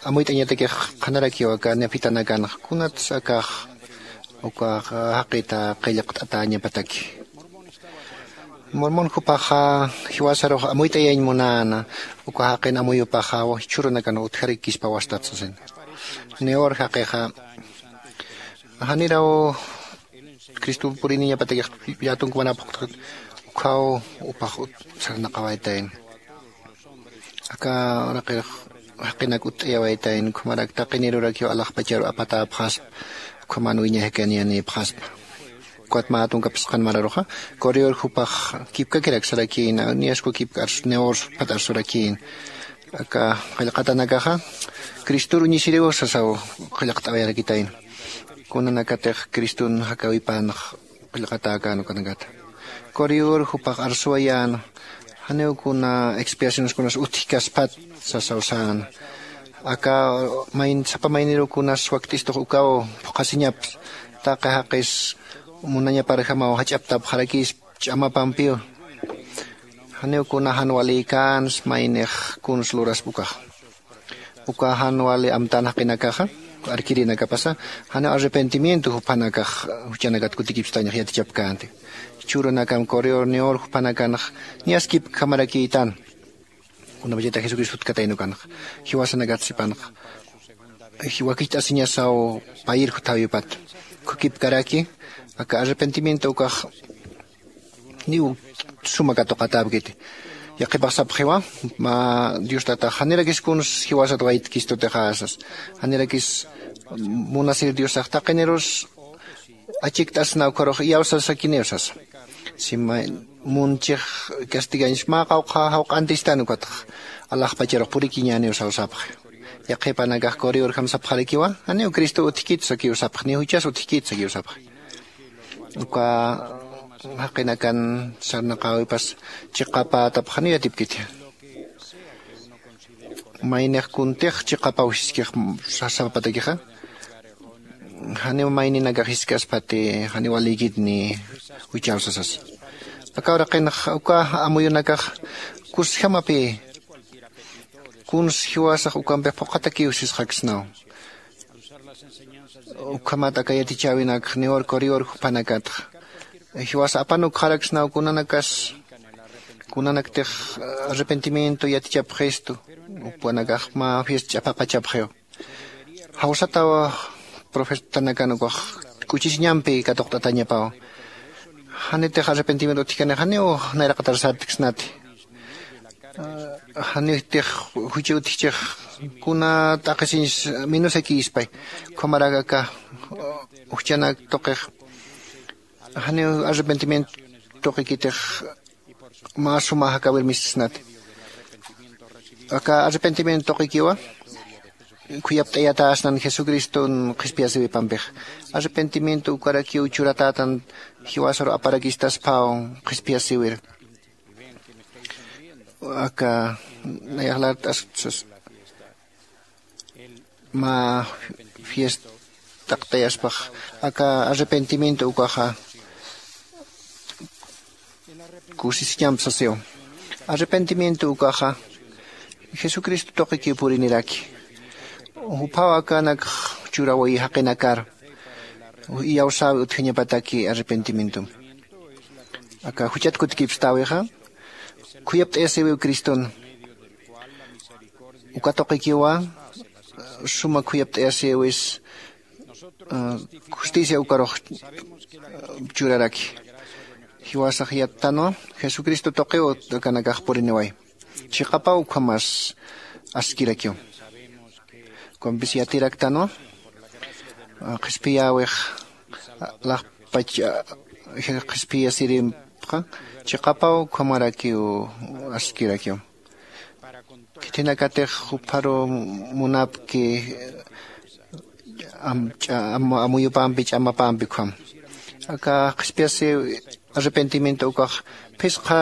amuyt'añatakix qhanarakiw aka nefitanakanx kunats akax ukax jaqita qillqt'atäñapataki. Mormon jupaxa jiwasarux amuyt'ayañ munäna uka jaqin amuyupaxaw jichhürunakan utjarakispa wastat sasina. Niwr jaqixa janiraw cristo puriniñapatakix yätunkumanapxkut ukhaw upax sarnaqawaytayna. Aka uraqirux jaqinak utt'ayawaytayna ukhamarak taqinirurakiw alaxpacharu apatäpxaspa. Ukhaman wiñay jakanïnïpxaspa. Ukat mä tunkapis qan mararuxa correor jupax kipkakirak sarakïna niyasku kipka arsu niwr phat arsurakïna. Aka qillqatanakaxa cristor uñisiriw sasaw qillqt'awayarakitayna. Kunanakatix criston jakäwipanx qillqatäkän ukanakata. Correor jupax arsuwayäna janiw kuna expiaciones kunas utjkaspat sasaw säna. Aka mayn sapa mayniruw kunas wakt'istux ukaw phuqhasiñaps taqi jaqis munañaparjamaw jach'aptapxarakïspa ch'amapampiw. Janiw kuna jan walïkäns maynix kuns luraspa ukax uka jan wali amtän jaqinakaxa arkirinakapasa janiw arrepentimiento juphanakax juchanakat kutikipstañax yatichapkänti. Jichhürunakam correor niwr juphanakanx niyas kipkjamarakïtan. Kunapachata jesucristo utkataynukanx jiwasanakat sipanx wakicht'asiñasaw payir juthawipat. Khukipkaraki aka arrepentimiento ukax niw suma katuqatäpkiti. Yaqhipax sapxiwa mä dios tatax janirakis kuns jiwasat waytkistutixäsas janirakis munasir diosax taqinirus achikt'asna ukharux iyawsasakiniw sasa. Sima munchix castigañs mä qawqha jawq'antistan ukatxa alaxpacharux purikiñäniw sawsapxi. Yaqhipanakax corrior jam sapxarakiwa, janiw cristo utjkit sakiw sapxi, ni juchas utjkit sakiw sapxi. Uka jaqinakan sarnaqäwipas chiqapätapxaniw yatipkiti. Maynix kuntix chiqapaw jiskix sasapatakixa, janiw mayninakax jiskaspati janiw walikit ni juchaw sasas. Aka uraqinx uka amuyunakax kusjamapï kuns jiwasax ukampix phuqhatakiw sisxaksnaw. Ukhamat aka yatichäwinakx niwar corrior jupanakatxa jiwas apan ukxaraksnaw kunanakas kunanaktix arrepentimiento yatichapxistu. Upanakax mä fiesta ch'apaqachapxiw. Jawsataw profetanakan ukax k'uchisiñampi katuqt'atañapaw. Janitix arrepentimiento utjkani janiw nayraqatar sartksnati. Janiwtix juchi utjchix kuna t'aqhisiñs minusakïspay. Ukhamarak aka ujchanak tuqix janiw arrepentimiento tuqikitix mä suma jakäwir mistsnati. Aka arrepentimiento tuqikiwa khuyapt'ayatäsnan jesucriston qhispiyasiwipampixa. Arrepentimiento ukarakiw churatätan jiwasaru aparakistaspaw qhispiyasiwir. Aka nayax lart'asksas mä fiestaqtayaspax aka arrepentimiento ukaxa kusisiñamp sasiw. Arrepentimiento ukaxa jesucristo tuqikiw puriniraki. Juphaw akanakx churawayi jaqinakar iyawsäwi utjañapataki arrepentimientom. Aka juchat kutikipstäwixa khuyapt'ayasiwiw criston. Uka tuqikiwa suma khuyapt'ayasiwis justicia ukarux churaraki. Jiwasax yattanwa jesucristo tuqiw akanakax puriniway. Chiqapaw ukhamas askirakiw. Ukampis yatiraktanwa qhispiyäwix alaxpach qhispiyasirimpxa chiqapaw ukhamarakiw askirakiw. Khitinakatix jupharu munapki amuyupampi ch'amapampi ukham aka qhispiyasiw arrepentimiento ukax phisqa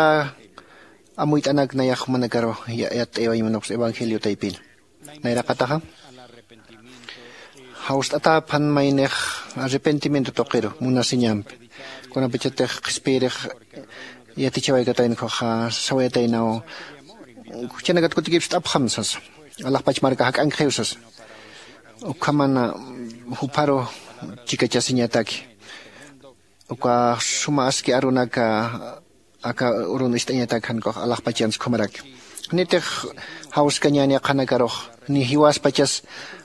amuyt'anak nayax jumanakaru yatt'ayawañ munuqs evangelio taypin. Nayraqataxa jawst'atäphan maynix arrepentimiento tuqiru munasiñampi. Kunapachatix qhispiyirix yatichawaykatayna ukhaxa sawayataynaw juchanakat kutikipst'apxam sasa. Alaxpach marka jak'ankxiw sasa. Ukhamana jupharu chikachasiñataki uka suma aski arunaka aka urun ist'añatak jankux alaxpachans ukhamaraki. Janitix jawskañäni aqhanakarux ni jiwaspachas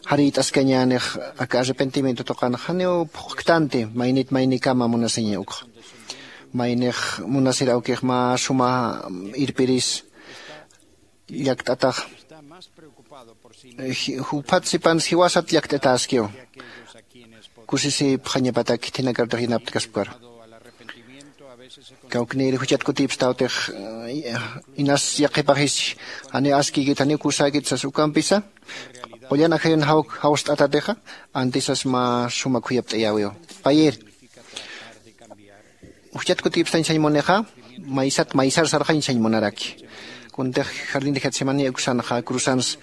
jarït'askañänix aka arrepentimiento tuqanx janiw phuqktanti maynit maynikama munasiña ukxa. Maynix munasir awkix mä suma irpiris llakt'atax juphat sipans jiwasat llakt'atäskiw. Kusisipxañapatak khitinakarutix yanaptkaspkaru kawknïri juchat kutipstawtix inas yaqhipaxis janiw askïkit janiw kusäkit sas ukampisa qullan ajayun jawst'atatixa antisas mä suma khuyapt'ayäwiw. Payir juchat kutipstañ sañ munixa maysat maysar sarxañ sañ munaraki. Kuntix jardín de getsemaní uksanxa cruzans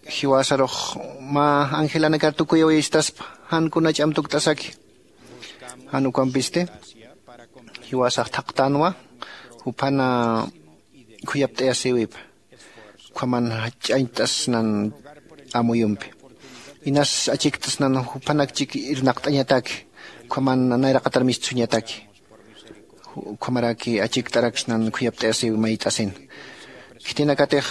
jiwasarux mä angelanakar tukuyawayistaspa jan kuna ch'am tukt'asaki. Jan ukampisti jiwasax thaqtänwa juphana khuyapt'ayasïwipa. Ukhaman jach'añcht'asnan amuyumpi inas achikt'asnan juphanak chik irnaqt'añataki. Ukhaman nayraqatar mistsuñataki ukhamaraki achikt'araksnan khuyapt'ayasïwi mayt'asin. Khitinakatix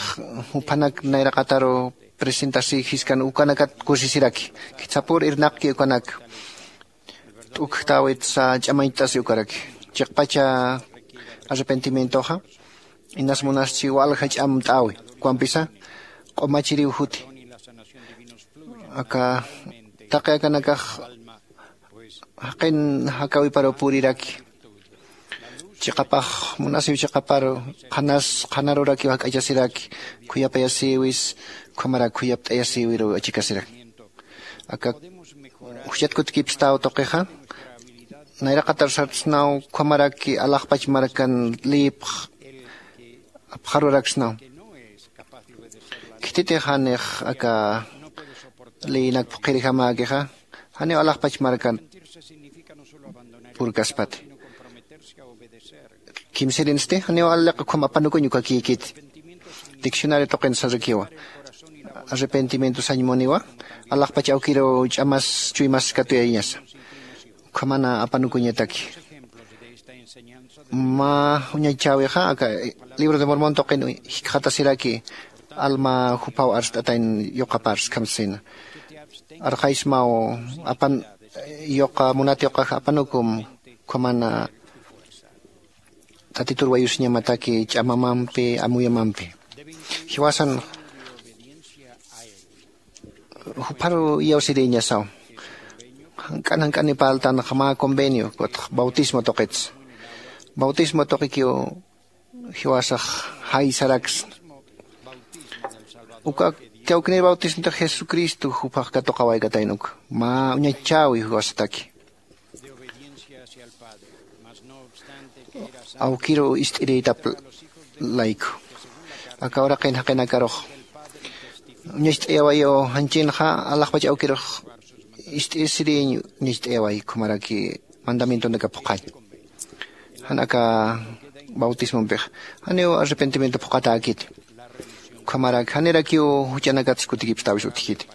juphanak nayraqataru presentasï jiskan ukanakat kusisiraki. Khitsapur irnaqki ukanak t'ukjtäwitsa ch'amañcht'asi ukaraki. Chiqpacha arrepentimientoxa inas munaschi walja ch'amt'äwi ukampisa q'umachiriw juti. Aka taqi akanakax jaqin jakäwiparuw puriraki. Chiqapax munasiw chiqaparu qhanas qhanarurakiw jak'achasiraki. Khuyapayasïwis ukhamarak khuyapt'ayasïwiruw achikasirak. Aka juchat kutkipstaw tuqixa nayraqatar sartsnaw ukhamaraki alaxpach markan liyipx apxaruraksnaw. Khititix janix aka liyinak phuqhirijamäkixa janiw alaxpach markan purkaspati. Kimsirinsti janiw aliq ukham apanukuñ ukakïkiti. Diccionario tuqin sarakiwa arrepentimiento sañ muniwa alaxpach awkiruw ch'amas chuymas katuyañasa. Ukhamana apanukuñataki mä uñachchäwixa aka libro de mormon tuqin jikxatasiraki alma juphaw arst'atayn yuqapar skham sasina. Arxaysmaw apan yuqa munat yuqax apanukum ukhamana tatitur wayusiñamataki ch'amamampi amuyamampi. Jiwasan jupharu iyawsirïñasaw jank'an jank'ani parltanxa mä convenio kutx bautismo tuqits. Bautismo tuqikiw jiwasax jaysaraksna. Uka kawknir bautismotix jesucristo juphax katuqawaykatayna uka mä uñachchäwi jiwasataki awkiruw ist'irïtap layku. Aka uraqin jaqinakarux uñacht'ayawayiw janchinxa alaxpach awkirux ist'isiriñ uñacht'ayaway ukhamaraki mandamientonaka phuqhañ. Jan aka bautismompix janiw arrepentimiento phuqhatäkiti. Ukhamarak janirakiw juch'anakatsa kutikipstäwis utjkiti.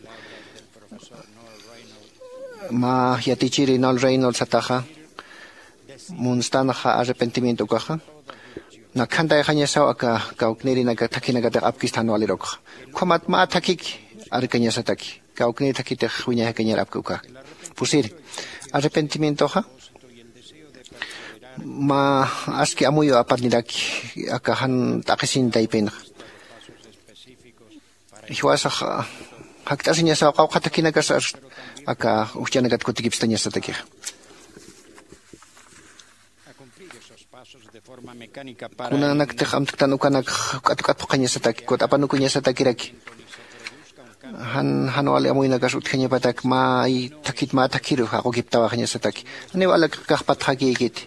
Mä yatichiri nol reynol sataxa munstanxa arrepentimiento ukaxa nakhantayxañasaw aka kawknirinaka thakhinakatix apkista jan walirukxa. Ukhamat mä thakhiki arkañasataki kawknir thakhitix wiñay jakañar apki uka. Pusiri arrepentimientoxa mä aski amuyu apaniraki aka jan t'aqhisiñ taypinxa. Jiwasax jakt'asiñasaw qawqha thakhinakas aka ujch'anakat kutikipstañasatakixa. Kunanaktix amtktan ukanakx juk'at juk'at phuqhañasataki kut apanukuñasatakiraki. Jan jan wali amuynakas utjañapatak mä thakhit mä thakhiru jaqukiptawaxañasataki. Janiw alakax patxakïkiti.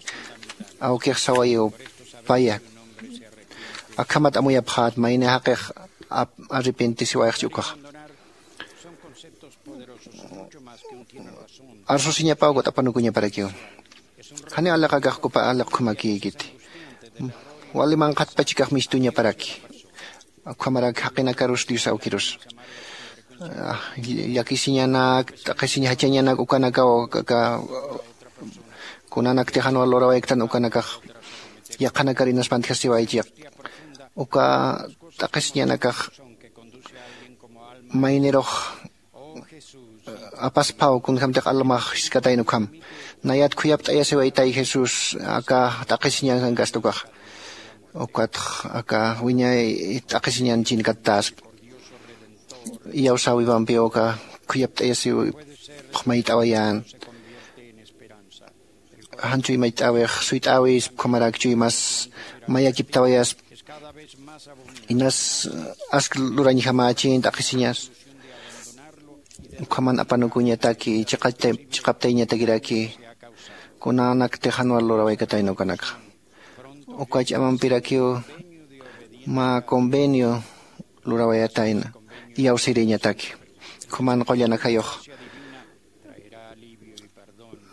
Awkix sawayiw paya akhamat amuyapxät mayni jaqix arrepentisiwayxchi ukaxa. Arsusiñapaw kut apanukuñaparakiw. Janiw aliqakax kupa aliqkhumakïkiti. Wali manqhatpachkax mistuñaparaki. Ukhamarak jaqinakarus dios awkirus llakisiñanak t'aqhisiñ jachañanak ukanakaw aka kunanaktix jan wal lurawayktan ukanakax yaqhanakar inaspanti jasiwaychiq. Uka t'aqhisiñanakax maynirux apasphaw kunjämtix almax jiskatayna ukham. Nayat khuyapt'ayasiwaytay jesús aka t'aqhisiñankankasta ukaxa. Ukatx aka wiñay t'aqhisiñan chinkattaspa. Iyawsäwipampiw aka khuyapt'ayasiw phuqhmayt'awayän. Jan chuymacht'äwix suyt'äwispa ukhamarak chuymas mayakiptawayaspa. Inas ask lurañjamächin t'aqhisiñas ukhaman apanukuñataki chiqaptayñatakiraki. Kunanaktix jan wal lurawaykatayna ukanakxa uka ch'amampirakiw mä convenio lurawayatayna iyawsirïñataki. Ukhaman qullan ajayux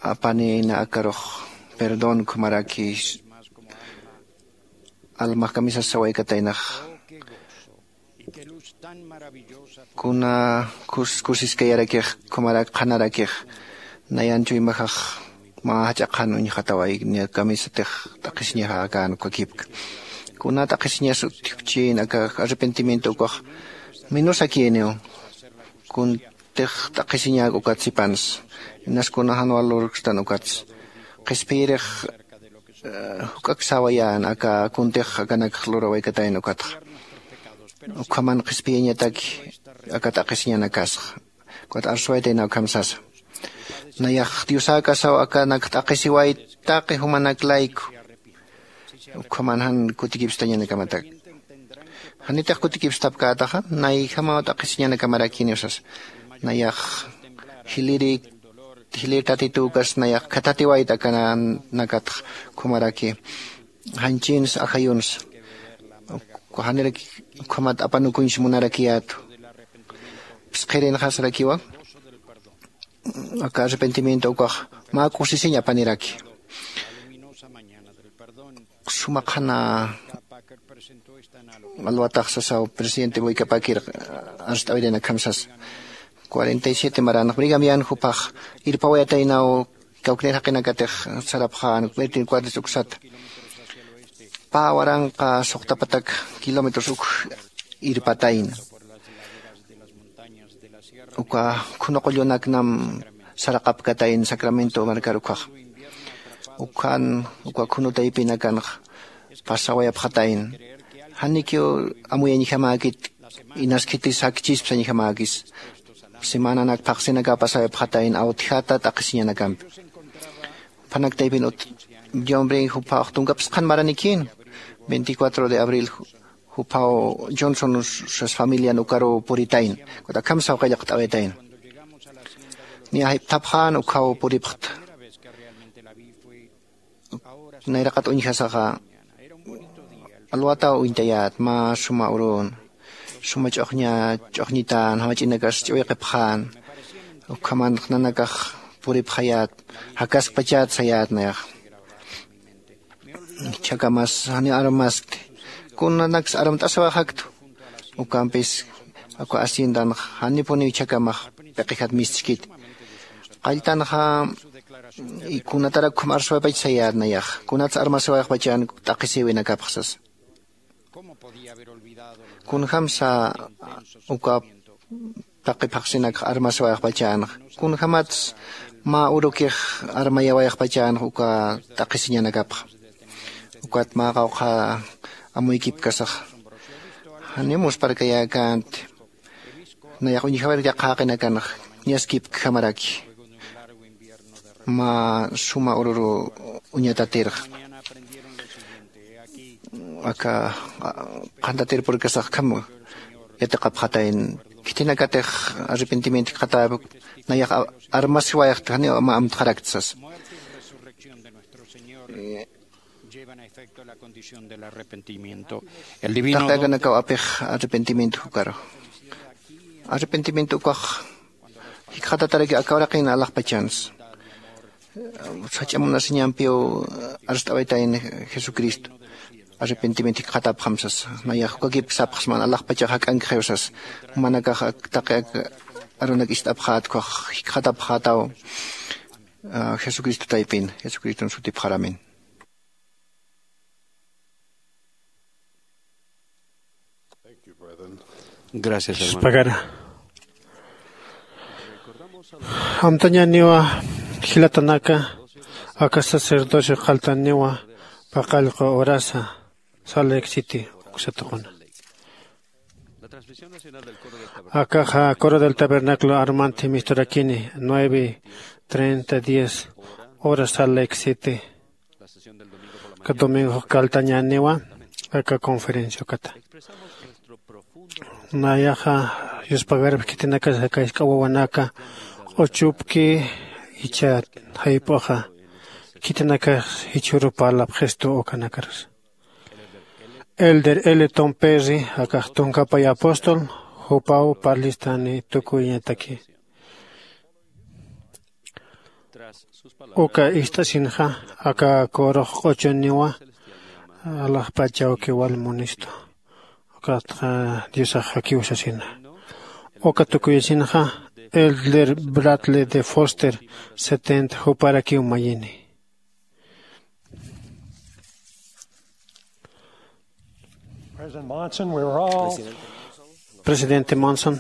apanïna akarux perdón ukhamaraki almax kamisas sawaykataynax. Kuna kusiskayarakix ukhamarak qhanarakix nayan chuymaxax mä jach'a qhan uñjataway niya kamisatix t'aqhisiñaxakan ukakipka. Kuna t'aqhisiñas utjkchin aka arrepentimiento ukax minusakïniw. Kuntix t'aqhisiñak ukat sipansa inas kuna jan wal lurkstan ukatsa qhispiyirix juk'ak sawayän aka kuntix akanakx lurawaykatayna ukatxa. Ukhaman qhispiyañataki aka t'aqhisiñanakasxa. Ukat arsuwaytayna ukham sasa nayax diosäkasaw akanak t'aqhisiway taqi jumanak layku. Ukhaman jan kutikipstañanakamatak. Janitix kutikipstapkätaxa nayjamaw t'aqhisiñanakamarakiniw sasa. Nayax jiliri jilir tatituw ukas nayax khathatiwayta akananakatx ukhamaraki. Janchins ajayuns, janiraki ukhamat apanukuñs munarakiyätu. Phisqhirinxasarakiwa aka arrepentimiento ukax mä kusisiñ apaniraki. Suma qhana alwatax sasaw presidente Boyka Packer arst'awirinakjam sasa. Cuarenta y siete maranx Brigham Young jupax irpawayataynaw kawknir jaqinakatix sarapxän Bertin Cuadres uksata. Pä waranqa suqtapatak kilómetros uk irpatayna. Uka khunu qullunaknam saraqapkatayn Sacramento markar ukhax. Ukhan uka khunu taypinakanx pasawayapxatayn. Janikiw amuyañjamäkit, inas khitis jakchis sañjamäkis. Semananak phaxsinaka pasawayapxatayn awtjata t'aqhisiñanakampi. Jupanak taypin ut John Bring juphax tunka phisqhan maranikïn. Veinticuatro de abril juphaw Johnson sas familian ukaruw puritayna. Ukat akham sawqallaqt'awaytayna. Niya jayp'thapxän ukhaw puripxta. Nayraqat uñjasaxa alwataw uñtayät mä suma urun, suma ch'uxña ch'uxñitän jamach'inakas ch'uwiqipxän. Ukhamanx nanakax puripxayät, jakaskpachät sayät nayax. Ichhakamas janiw armaskti. Kunanaks armt'asiwayxaktu. Ukampis uka haciendanx janipuniw ichhakamax p'iqijat mistskiti. Qalltanxa kunatarak ukham arsuwaypach sayät nayax, kunats armasiwayxpachan t'aqhisïwinakapx sasa. Kunjamsa uka taqi phaxsinakx armasiwayxpachanxa? Kunjamats mä urukix armayawayxpachanxa uka t'aqhisiñanakapxa? Ukat mä qawqha amuykipkasaxa janiw muspharkayäkänti. Nayax uñjawir yaqhaqinakanxa ñaskipkjamaraki. Mä suma ururu uñatatirxa aka qhantatir purkasax kham yatiqapxatayn. Khitinakatix arrepentimiento jikxatäpik nayax armasiwayxta janiw mä amtxarakta sasa. Llevan a efecto la condición del arrepentimiento. El divino taqi akanakaw apix arrepentimiento jukaru. Arrepentimiento ukax jikxatataraki aka uraqin alaxpachans. Sach'a munasiñampiw arst'awaytayn Jesucristo. Arrepentimiento jikxatapxam sasa. Nayax ukakipki sapxsman alaxpachax jak'ankxiw sasa. Jumanakax taqi arunak ist'apxät ukax jikxatapxätaw jesucristo taypin jesucriston sutipxaramin. Gracias, hermano. Pagara. Amtañaniwa jilatanaka aka sacerdocio qaltaniwa paqallqu horasa Salt Lake City uksatuquna. Akaxa coro del tabernáculo armanthi misturakini nueve treinta diez hora Salt Lake City. Aka domingo kaltañaniwa aka conferencia ukata. Nayaxa yuspagarp khitinakas aka isk'a wawanaka q'uchupki icha jayp'uxa khitinakax jichhuru parlapxistu ukanakarus. Elder L Tom Perry akax tunkapay apóstol jupaw parlistani tukuyañataki. Uka ist'asinxa aka kurux q'uchuniwa alaxpachawki wal munistu. Ukatxa diosax jakiw sasina. Uka tukuyasinxa elder bradley de foster setenta juparakiw mayini. Presidente Monson,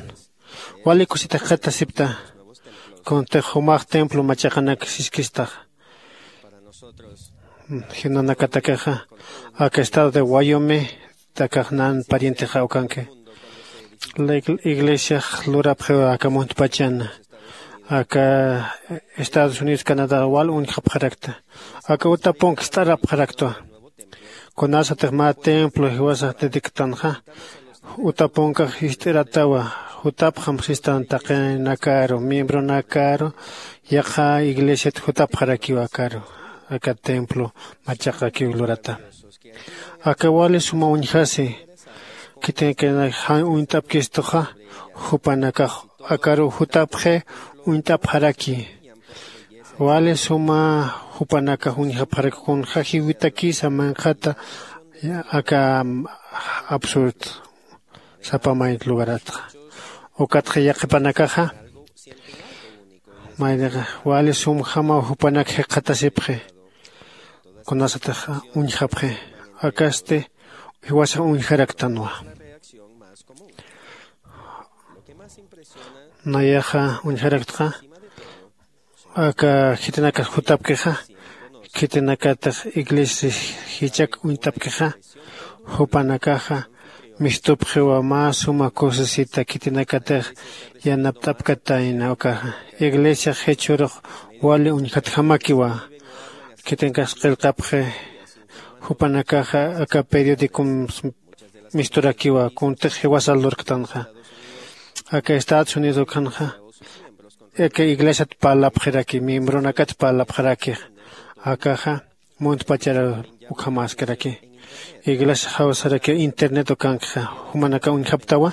wali kusitix qhitasipta kuntix jumax templo machaqanak siskistaxa. Jinanakatakixa aka estado de wyoming takax nan parientexa ukanki. La iglesiax lurapxiw aka muntpachan aka estados unidos canadá wal uñjapxarakta. Aka utapunki ist'arapxaraktwa. Kunasatix mä templo jiwasax dedictanxa, utapunkax jist'iratawa. Jutapxam sistan taqinakaru miembronakaru yaqha iglesiat jutapxarakiw akaru. Aka templo machaqakiw lurata. Aka wali suma uñjasi, khitinakanak jan uñt'apkistuxa, jupanakax akaru jutapxi uñt'apxaraki. Wali suma jupanakax uñjapxaraki kunxa jiwitakisa manqhata aka absurd sapa mayt lugaratxa. Ukatxa yaqhipanakaxa maynixa wali sumjamaw jupanak jikxatasipxi. Kunasatix uñjapxi akasti jiwasax uñjaraktanwa. Nayaxa uñjaraktxa aka khitinakas jutapkixa khitinakatix iglesia jichak uñt'apkixa jupanakaxa mistupxiwa mä suma kusisita khitinakatix yanapt'apkatayna ukaxa. Iglesiax jichhürux wali uñjatjamakiwa. Khitinakax qillqapxi jupanakaxa aka periodicom misturakiwa kuntix jiwasa lurktanxa. Aka estados unidos ukhanxa aka iglesiat parlapxiraki miembronakat parlapxarakix. Akaxa muntpachara ukhamaskiraki. Iglesia jawsaraki internet ukankxa jumanaka uñjaptawa.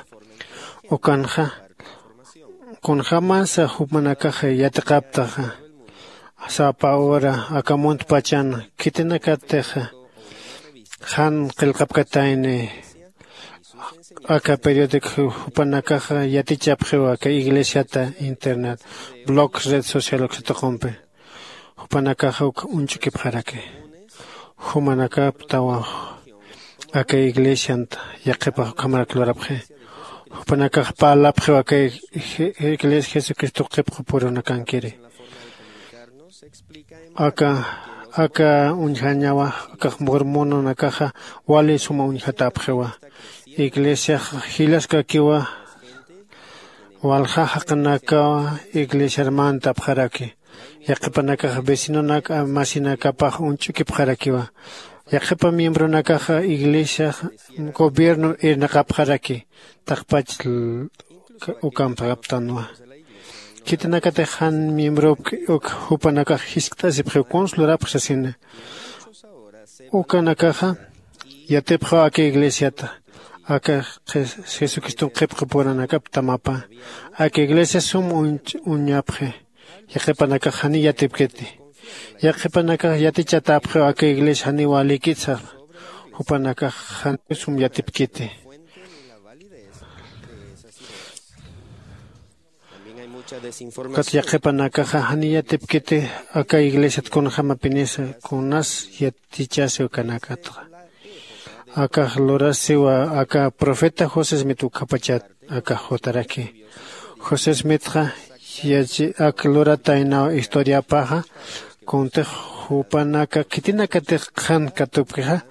Ukanxa kunjämasa jumanakaxa yatiqaptaxa sapa hora aka muntpachan khitinakatixa jan qillqapkatayni aka periodico jupanakaxa yatichapxiwa aka iglesiata internet blogs red social uksatuqumpi. Jupanakaxa uk uñch'ukipxaraki jumanakaptawa aka iglesiant yaqhipax ukhamarak lurapxi. Jupanakax parlapxiw aka iglesia jesucristo qhipqupurunakankiri. Aka aka uñjañawa akax mormononakaxa wali suma uñjatäpxiwa. Iglesiax jilaskakiwa walja jaqinakawa iglesiar mantapxaraki. Yaqhipanakax vecinonak masinakapax uñch'ukipxarakiwa. Yaqhipa miembronakaxa iglesiax gobierno irnaqapxaraki taqpach ukampxaptanwa. Khitinakatix jan miembrop uk jupanakax jiskt'asipxiw kuns lurapxi sasina. Ukanakaxa yatipxaw aka iglesiata aka jesucriston qhipqipurunakap tamapa. Aka iglesia sum uñapxi. Yaqhipanakax janiy yatipkiti. Yaqhipanakax yatichatäpxiw aka iglesia janiw walikitsa. Jupanakax janiw sum yatipkiti. Ukat yaqhipanakaxa janiy yatipkiti aka iglesiat kunjämapinisa kunas yatichasiw kanakatxa. Akax lurasiwa aka profeta josé smith ukhapachat akax jutaraki. José smithxa yachi ak lurataynaw historiapaxa kuntix jupanaka khitinakatix qhan katupkixa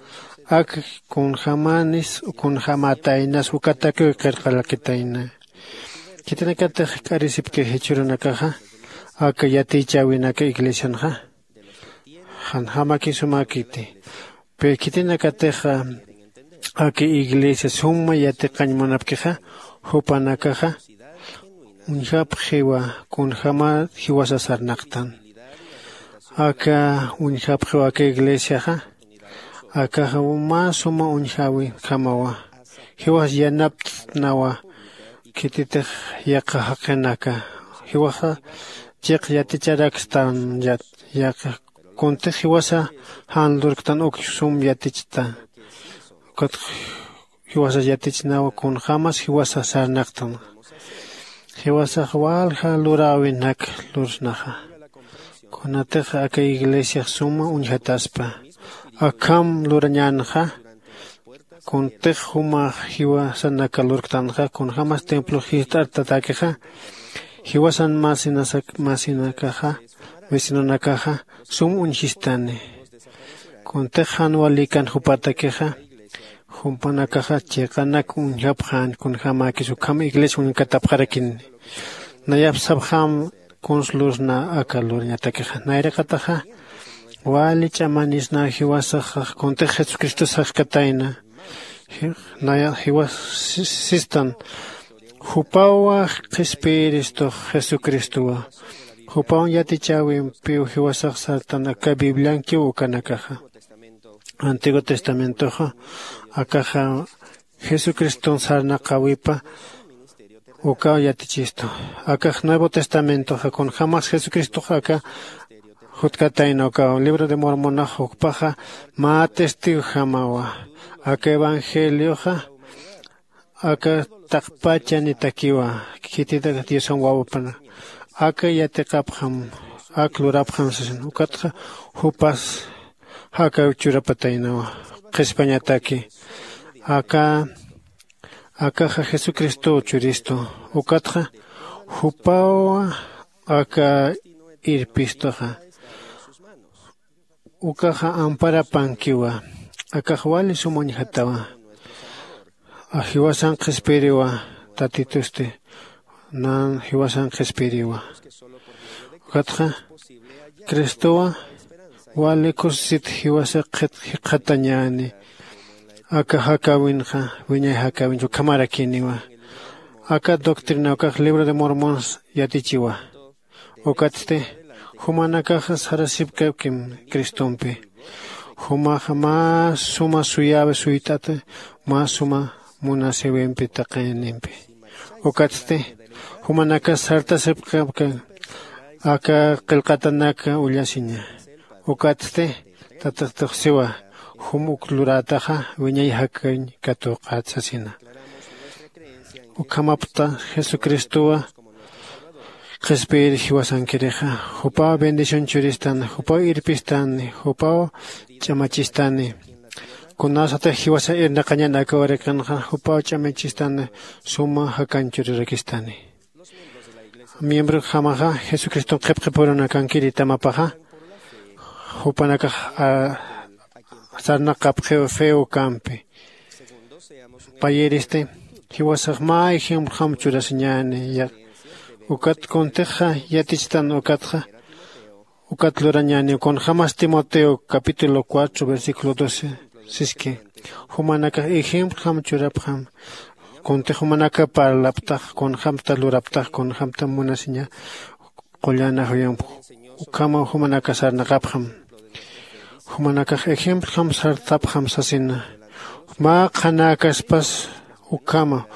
ak kunjämanis kunjämätaynas ukatakiw qillqarakitayna. Khitinakatix k'arisipki jichhürunakaxa aka yatichäwinaka iglesianxa janjämaki sumäkiti. Pero khitinakatixa aka iglesia suma yatiqañ munapkixa jupanakaxa uñjapxiwa kunjämä jiwasa sarnaqtan. Aka uñjapxiw aka iglesiaxa akaxa mä suma uñjäwinjamawa. Jiwas yanapt'nawa khititix yaqha jaqinaka jiwaxa chiq yaticharakstanyat. Yaqha kuntix jiwasa jan lurktan uk sum yatichta. Ukat jiwasa yatichnawa kunjämas jiwasa sarnaqtan. Jiwasax walja luräwinak lursnaxa. Kunatix aka iglesiax suma uñjataspa akham lurañänxa. Kuntix jumax jiwasanaka lurktanxa kunjämas templo jist'artatäkixa jiwasan masinakaxa vecinonakaxa sum uñjistani. Kuntix jan walikan jupatakixa jupanakaxa chiqanak uñjapxän kunjämäkis ukham iglesia uñkatapxarakini. Nayap sapxäm kuns lursna aka lurañatakixa nayraqataxa Wali ch'amanisna jiwasaxa kuntix jesucristo saxkatayna. Naya jiwas sistan jupawa qhispiyiristux jesucristowa. Jupawan yatichäwimpiw jiwasax sartan aka bibliankiw ukanakaxa. Antiguo testamentoxa akaxa jesucriston sarnaqäwipa ukaw yatichistu. Akax nuevo testamentoxa kunjämas jesucristox aka jutkatayna ukaw libro de mormonax ukpaxa mä testigojamawa. Aka evangelioxa aka taqpachanitakiwa khititak diosan wawapana aka yatiqapxam ak lurapxam sasin ukatxa jupas jakaw churapataynawa. Qhispañataki aka akaxa jesucristow churistu ukatxa jupaw aka irpistuxa ukaxa amparapankiwa. Akax wali sum uñjatawa. Jiwasan qhispiyiriwa tatitusti nan jiwasan qhispiyiriwa. Ukatxa cristowa wali kusisit jiwasa jikxatañäni aka jakäwinxa wiñay jakäwincha ukhamarakïniwa. Aka doctrina ukax libro de mormons yatichiwa. Ukatsti jumanakaxa sarasipkapkim cristompi. Jumaxa mä suma suyäwi suyt'ata mä suma munasïwimpi taqinimpi. Ukatsti jumanakas sartasipkapka aka qillqatanak ullasiña. Ukatsti tatixtuxsiwa jum uk lurätaxa wiñay jakañ katuqät sasina. Ukhamapta jesucristowa qhispiyir jiwasankirixa jupaw bendición churistani jupaw irpistani jupaw ch'amachistani. Kunasatix jiwasa irnaqañan aka urakanxa jupaw ch'amachistani suma jakañ churirakistani. Miembrojamaxa jesucriston qhipqipurunakankiri tamapaxa jupanakax sarnaqapxiw feo kampi. Payiristi jiwasax mä ejemplojam churasiñäni. Ukat kuntixa yatichtan ukatxa ukat lurañäniw kunjämas timoteo capítulo cuatro versículo doce siski. Jumanakax ejemplojam churapxam kuntix jumanaka parlaptax kunjämta luraptax kunjämta munasiña. Qullana juyamp ukhamaw jumanaka sarnaqapxam. Jumanakax ejemplojam sartapxam sasina. Mä qhanäkaspas ukhama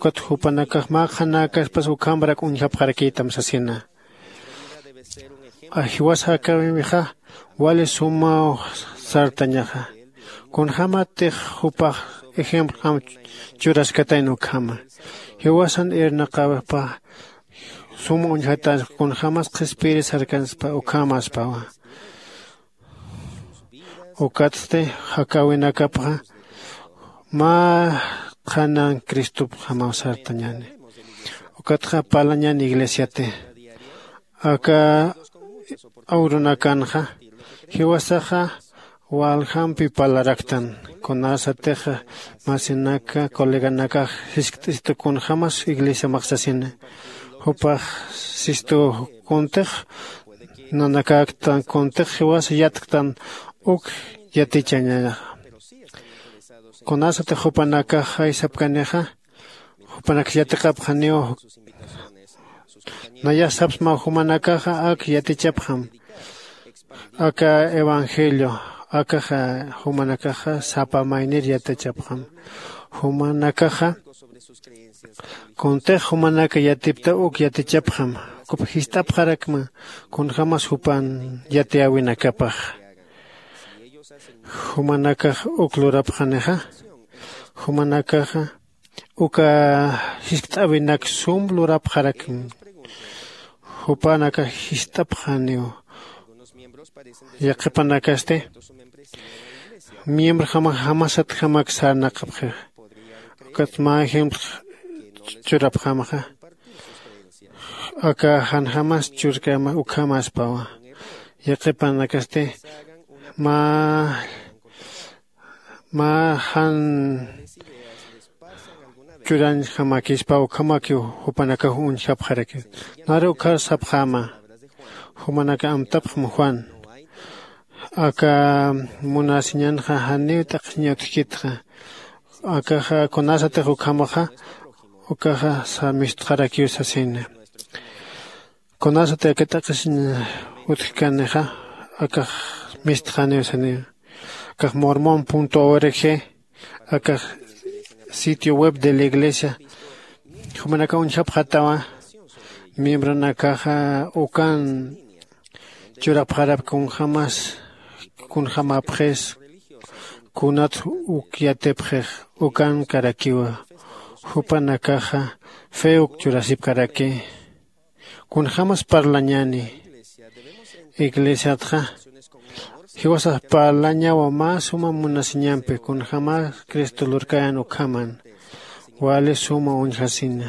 ukat jupanakax mä qhanäkaspas ukhamrak uñjapxarakïtam sasina. Jiwas jakäwimixa wali sumaw sartañaxa. Kunjämatix jupax ejemplojam churaskatayna ukhama. Jiwasan irnaqäwipa sum uñjatäspa kunjämas qhispiyiri sarkanspa ukhamäspawa. Ukatsti jakäwinakapxa mä qhanan cristopjamaw sartañäni. Ukatxa parlañäni iglesiati aka awrunakanxa jiwasaxa waljampi parlaraktan. Kunasatixa masinaka coleganakax jiskt'isitu kunjämas iglesiamax sasina. Jupax sistu kuntix nanakäktan kuntix jiwasa yatktan uk yatichañaxa. Kunasatix jupanakax jaysapkanixa jupanaksa yatiqapxaniw. Nayax sapsmaw jumanakaxa ak yatichapxam aka evangelio akaxa jumanakaxa sapa maynir yatichapxam. Jumanakaxa kuntix jumanaka yatipta uk yatichapxam. Kup jist'apxarakma kunjämas jupan yatiyäwinakapax. Jumanakax uk lurapxanixa jumanakaxa uka jiskt'äwinak sum lurapxarakma. Jupanakax jist'apxaniw. Yaqhipanakasti miembrojamax jamasatjamak sarnaqapxixa. Ukat mä ejemplo churapxamaxa aka janjamas churkama ukhamaspawa. Yaqhipanakasti mä mä jan churañjamakispa ukhamakiw jupanakax uñjapxarakis. Naru ukhar sapxäma jumanaka amtapxam juan. Aka munasiñanxa janiw t'aqsiña utjkitxa. Akaxa kunasatix ukhamaxa ukaxa samistxarakiw sasina. Kunasati aka t'aqsiñ utjkanixa akax mistxaniw saniw. Akax mormon punto org akax sitio web de la iglesia. Jumanaka uñjapxatawa miembronakaxa ukan churapxarap kunjamas kunjamapxis kunat uk yatipxix ukan karakiwa. Jupanakaxa feuk churasipkaraki. Kunjamas parlañani iglesiatxa jiwasax parlañawa mä suma munasiñampi kunjamas cristo lurkayan ukhaman wali suma uñjasina.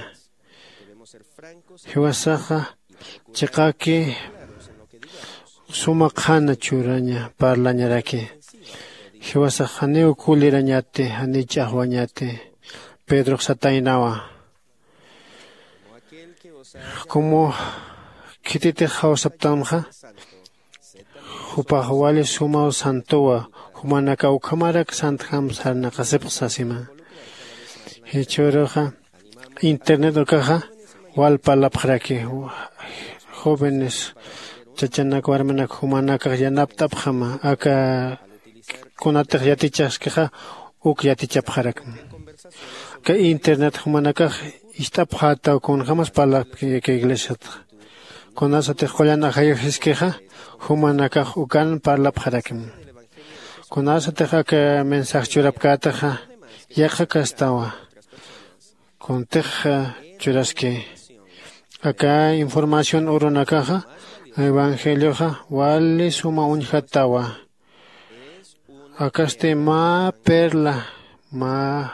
Jiwasaxa chiqaki suma qhana churaña parlañaraki. Jiwasax janiw kulirañati janiw ch'axwañati. Pedrox sataynawa como khititix jawsaptanxa jupax wali sumaw santowa. Jumanaka ukhamarak santjam sarnaqasipx sasima. Jichhüruxa internet ukaxa wal parlapxaraki jóvenes chachanak warminak jumanakax yanapt'apxama aka kunatix yatichaskixa uk yatichapxarakma. Aka internet jumanakax ist'apxätaw kunjämas parlapki aka iglesiatxa. Kunasatix qullan ajayuxiskixa jumanakax ukan parlapxarakma. Kunasatix aka mensaje churapkätaxa yaqhakastawa kuntix churaski. Aka información urunakaxa evangelioxa wali suma uñjatawa. Akasti mä perla mä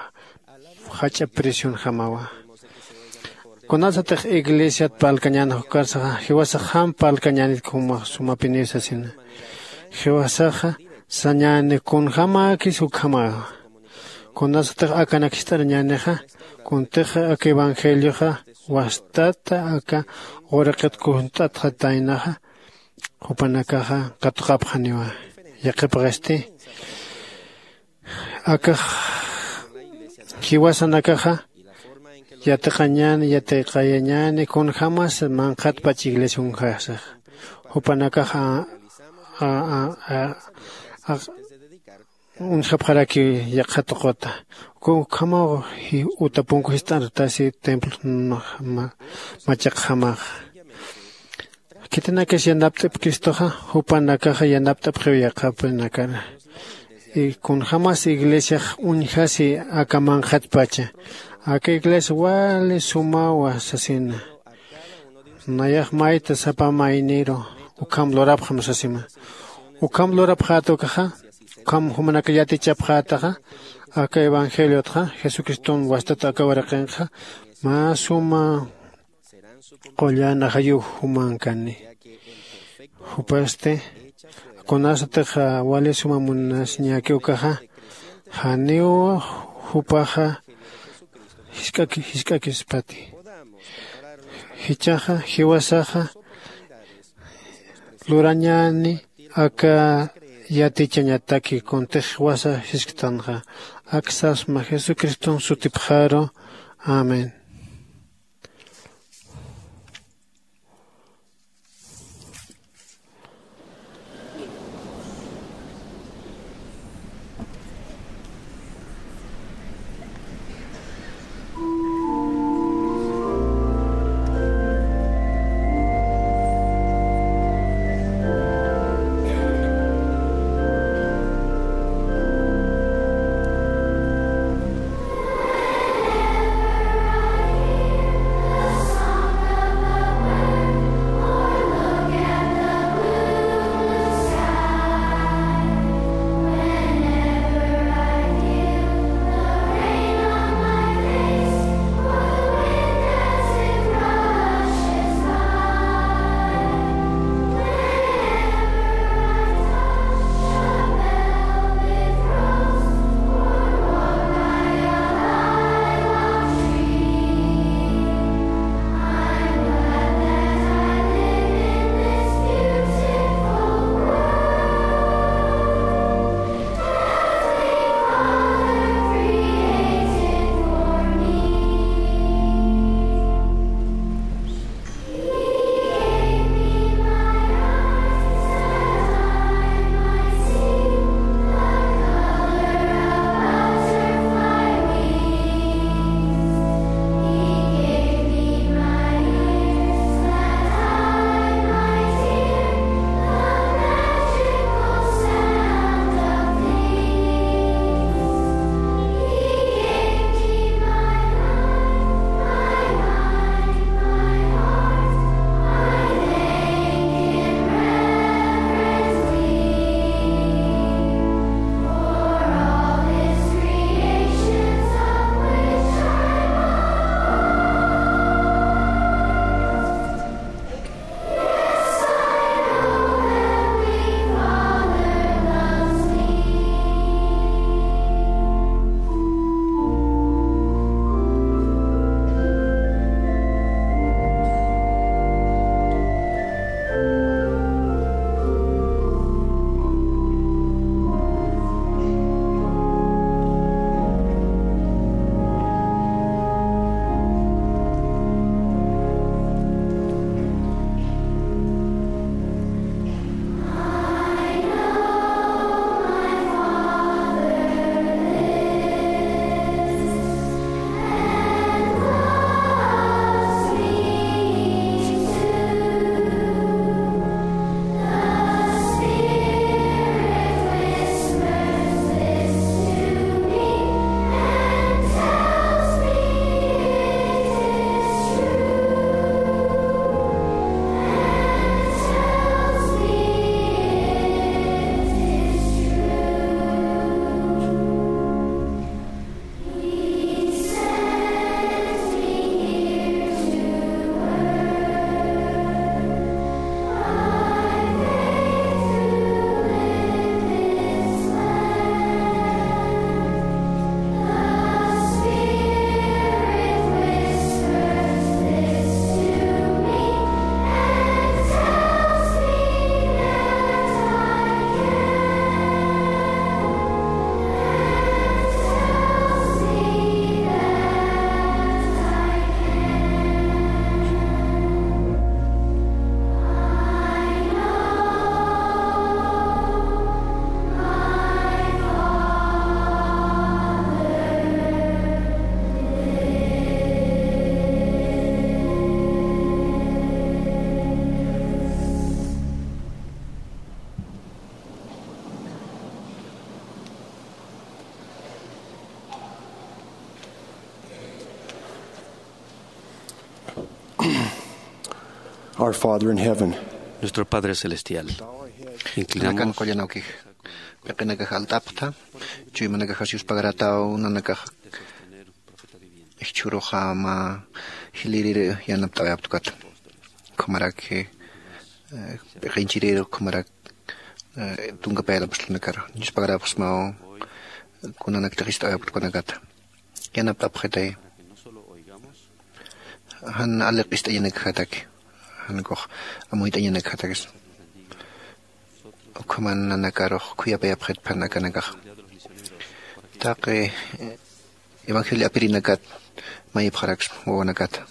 jach'a presionjamawa. Kunasatix iglesiat parlkañän juk'arsaxa jiwasaxam parlkañänit kumax sumapiniw sasina. Jiwasaxa sañäni kunjämäkis ukhamawa. Kunasatix akanak jist'arañänixa kuntix aka evangelioxa wastata aka uraqit kunt'atxataynaxa jupanakaxa katuqapxaniwa. Yaqhipxisti akax jiwasanakaxa yatiqañäni yatiqayañäni kunjämas manqhatpach iglesia uñjasax jupanakaxa uñjapxaraki yaqha tuquta. Ukhamaw utapunku jist'artasi templo machaqjamaxa. Khitinakis yanapt'ip cristoxa jupanakaxa yanapt'apxiw yaqhapinakara. Kunjämas iglesiax uñjasi aka manqhatpacha aka iglesia wali sumawa sasina. Nayax mayta sapa mayniru ukham lurapxam sasima. Ukham lurapxäta ukaxa ukham jumanaka yatichapxätaxa aka evangeliotxa jesucriston wastat aka uraqinxa mä suma qullan ajayux jumankani. Jupasti kunasatix wali suma munasiñäki ukaxa janiw jupaxa jisk'aki jisk'akispati. Jichhaxa jiwasaxa lurañäni aka yatichañataki kuntix jiwasa jisktanxa. Ak sasma jesucriston sutipxaru. Amén. Our Father in heaven. Nuestro Padre Celestial. Inclinamos. Nakan qullanawkix. Piqinakax alt'apxta. Chuymanakaxas yuspagarataw nanakax. Ijchhuruxa mä jilïrir yanapt'awayapxta ukat. Ukhamarak, eh, piqinchirir ukhamarak, eh, tunkapayar apst'unakar. Yuspagarapxsmaw kunanaktix ist'awayapxta ukanakata. Yanapt'apxitay. Jan aliq ist'añanakjataki. Jan kux amuyt'añanakjatakis. Ukhaman nanakarux khuyapayapxitpan akanakax. Taqi, eh, evangelio apirinakat mayipxaraksma wawanakata.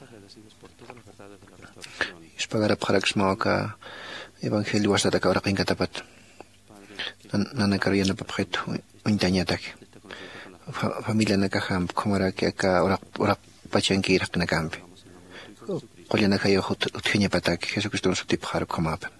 Yuspagarapxaraksma aka evangelio wasataka uraqinkatapat. Nan-, nanakaru yanapapxit uñtañataki. Fa-, familianakaxampi ukhamaraki aka uraq, uraq pachankir jaqinakampi. Qullanakayax ut-, utjañapataki Jesucriston sutipxar ukhamapa.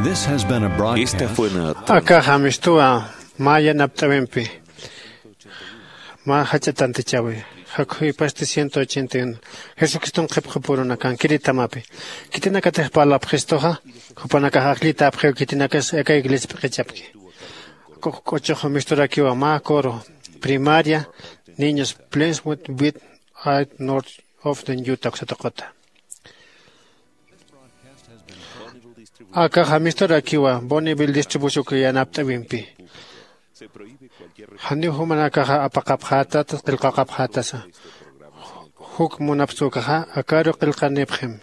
This has been a broadcast. Esta fue una. Akaxa mistuwa mä yanapt'äwimpi. Mä jach'a tantichäwi. Jakhuypasti ciento ochenta y uno. Jesucriston qhipxupurunakankiritamapï. Khitinakatix parlapxistuxa, jupanakax ajllitäpxiw khitinakas aka iglesia p'iqichapki. K'uchux misturakiwa mä coro primaria, niños Plainswood, Wheat Ridge, North Ogden, Utah, uksatuquta. Akaxa misturakiwa Bonneville distribución yanapt'äwimpi. Janiw jumanakaxa apaqapxätata, qillqaqapxätasa. Juk munapxta ukaxa, akaru qillqanipxim.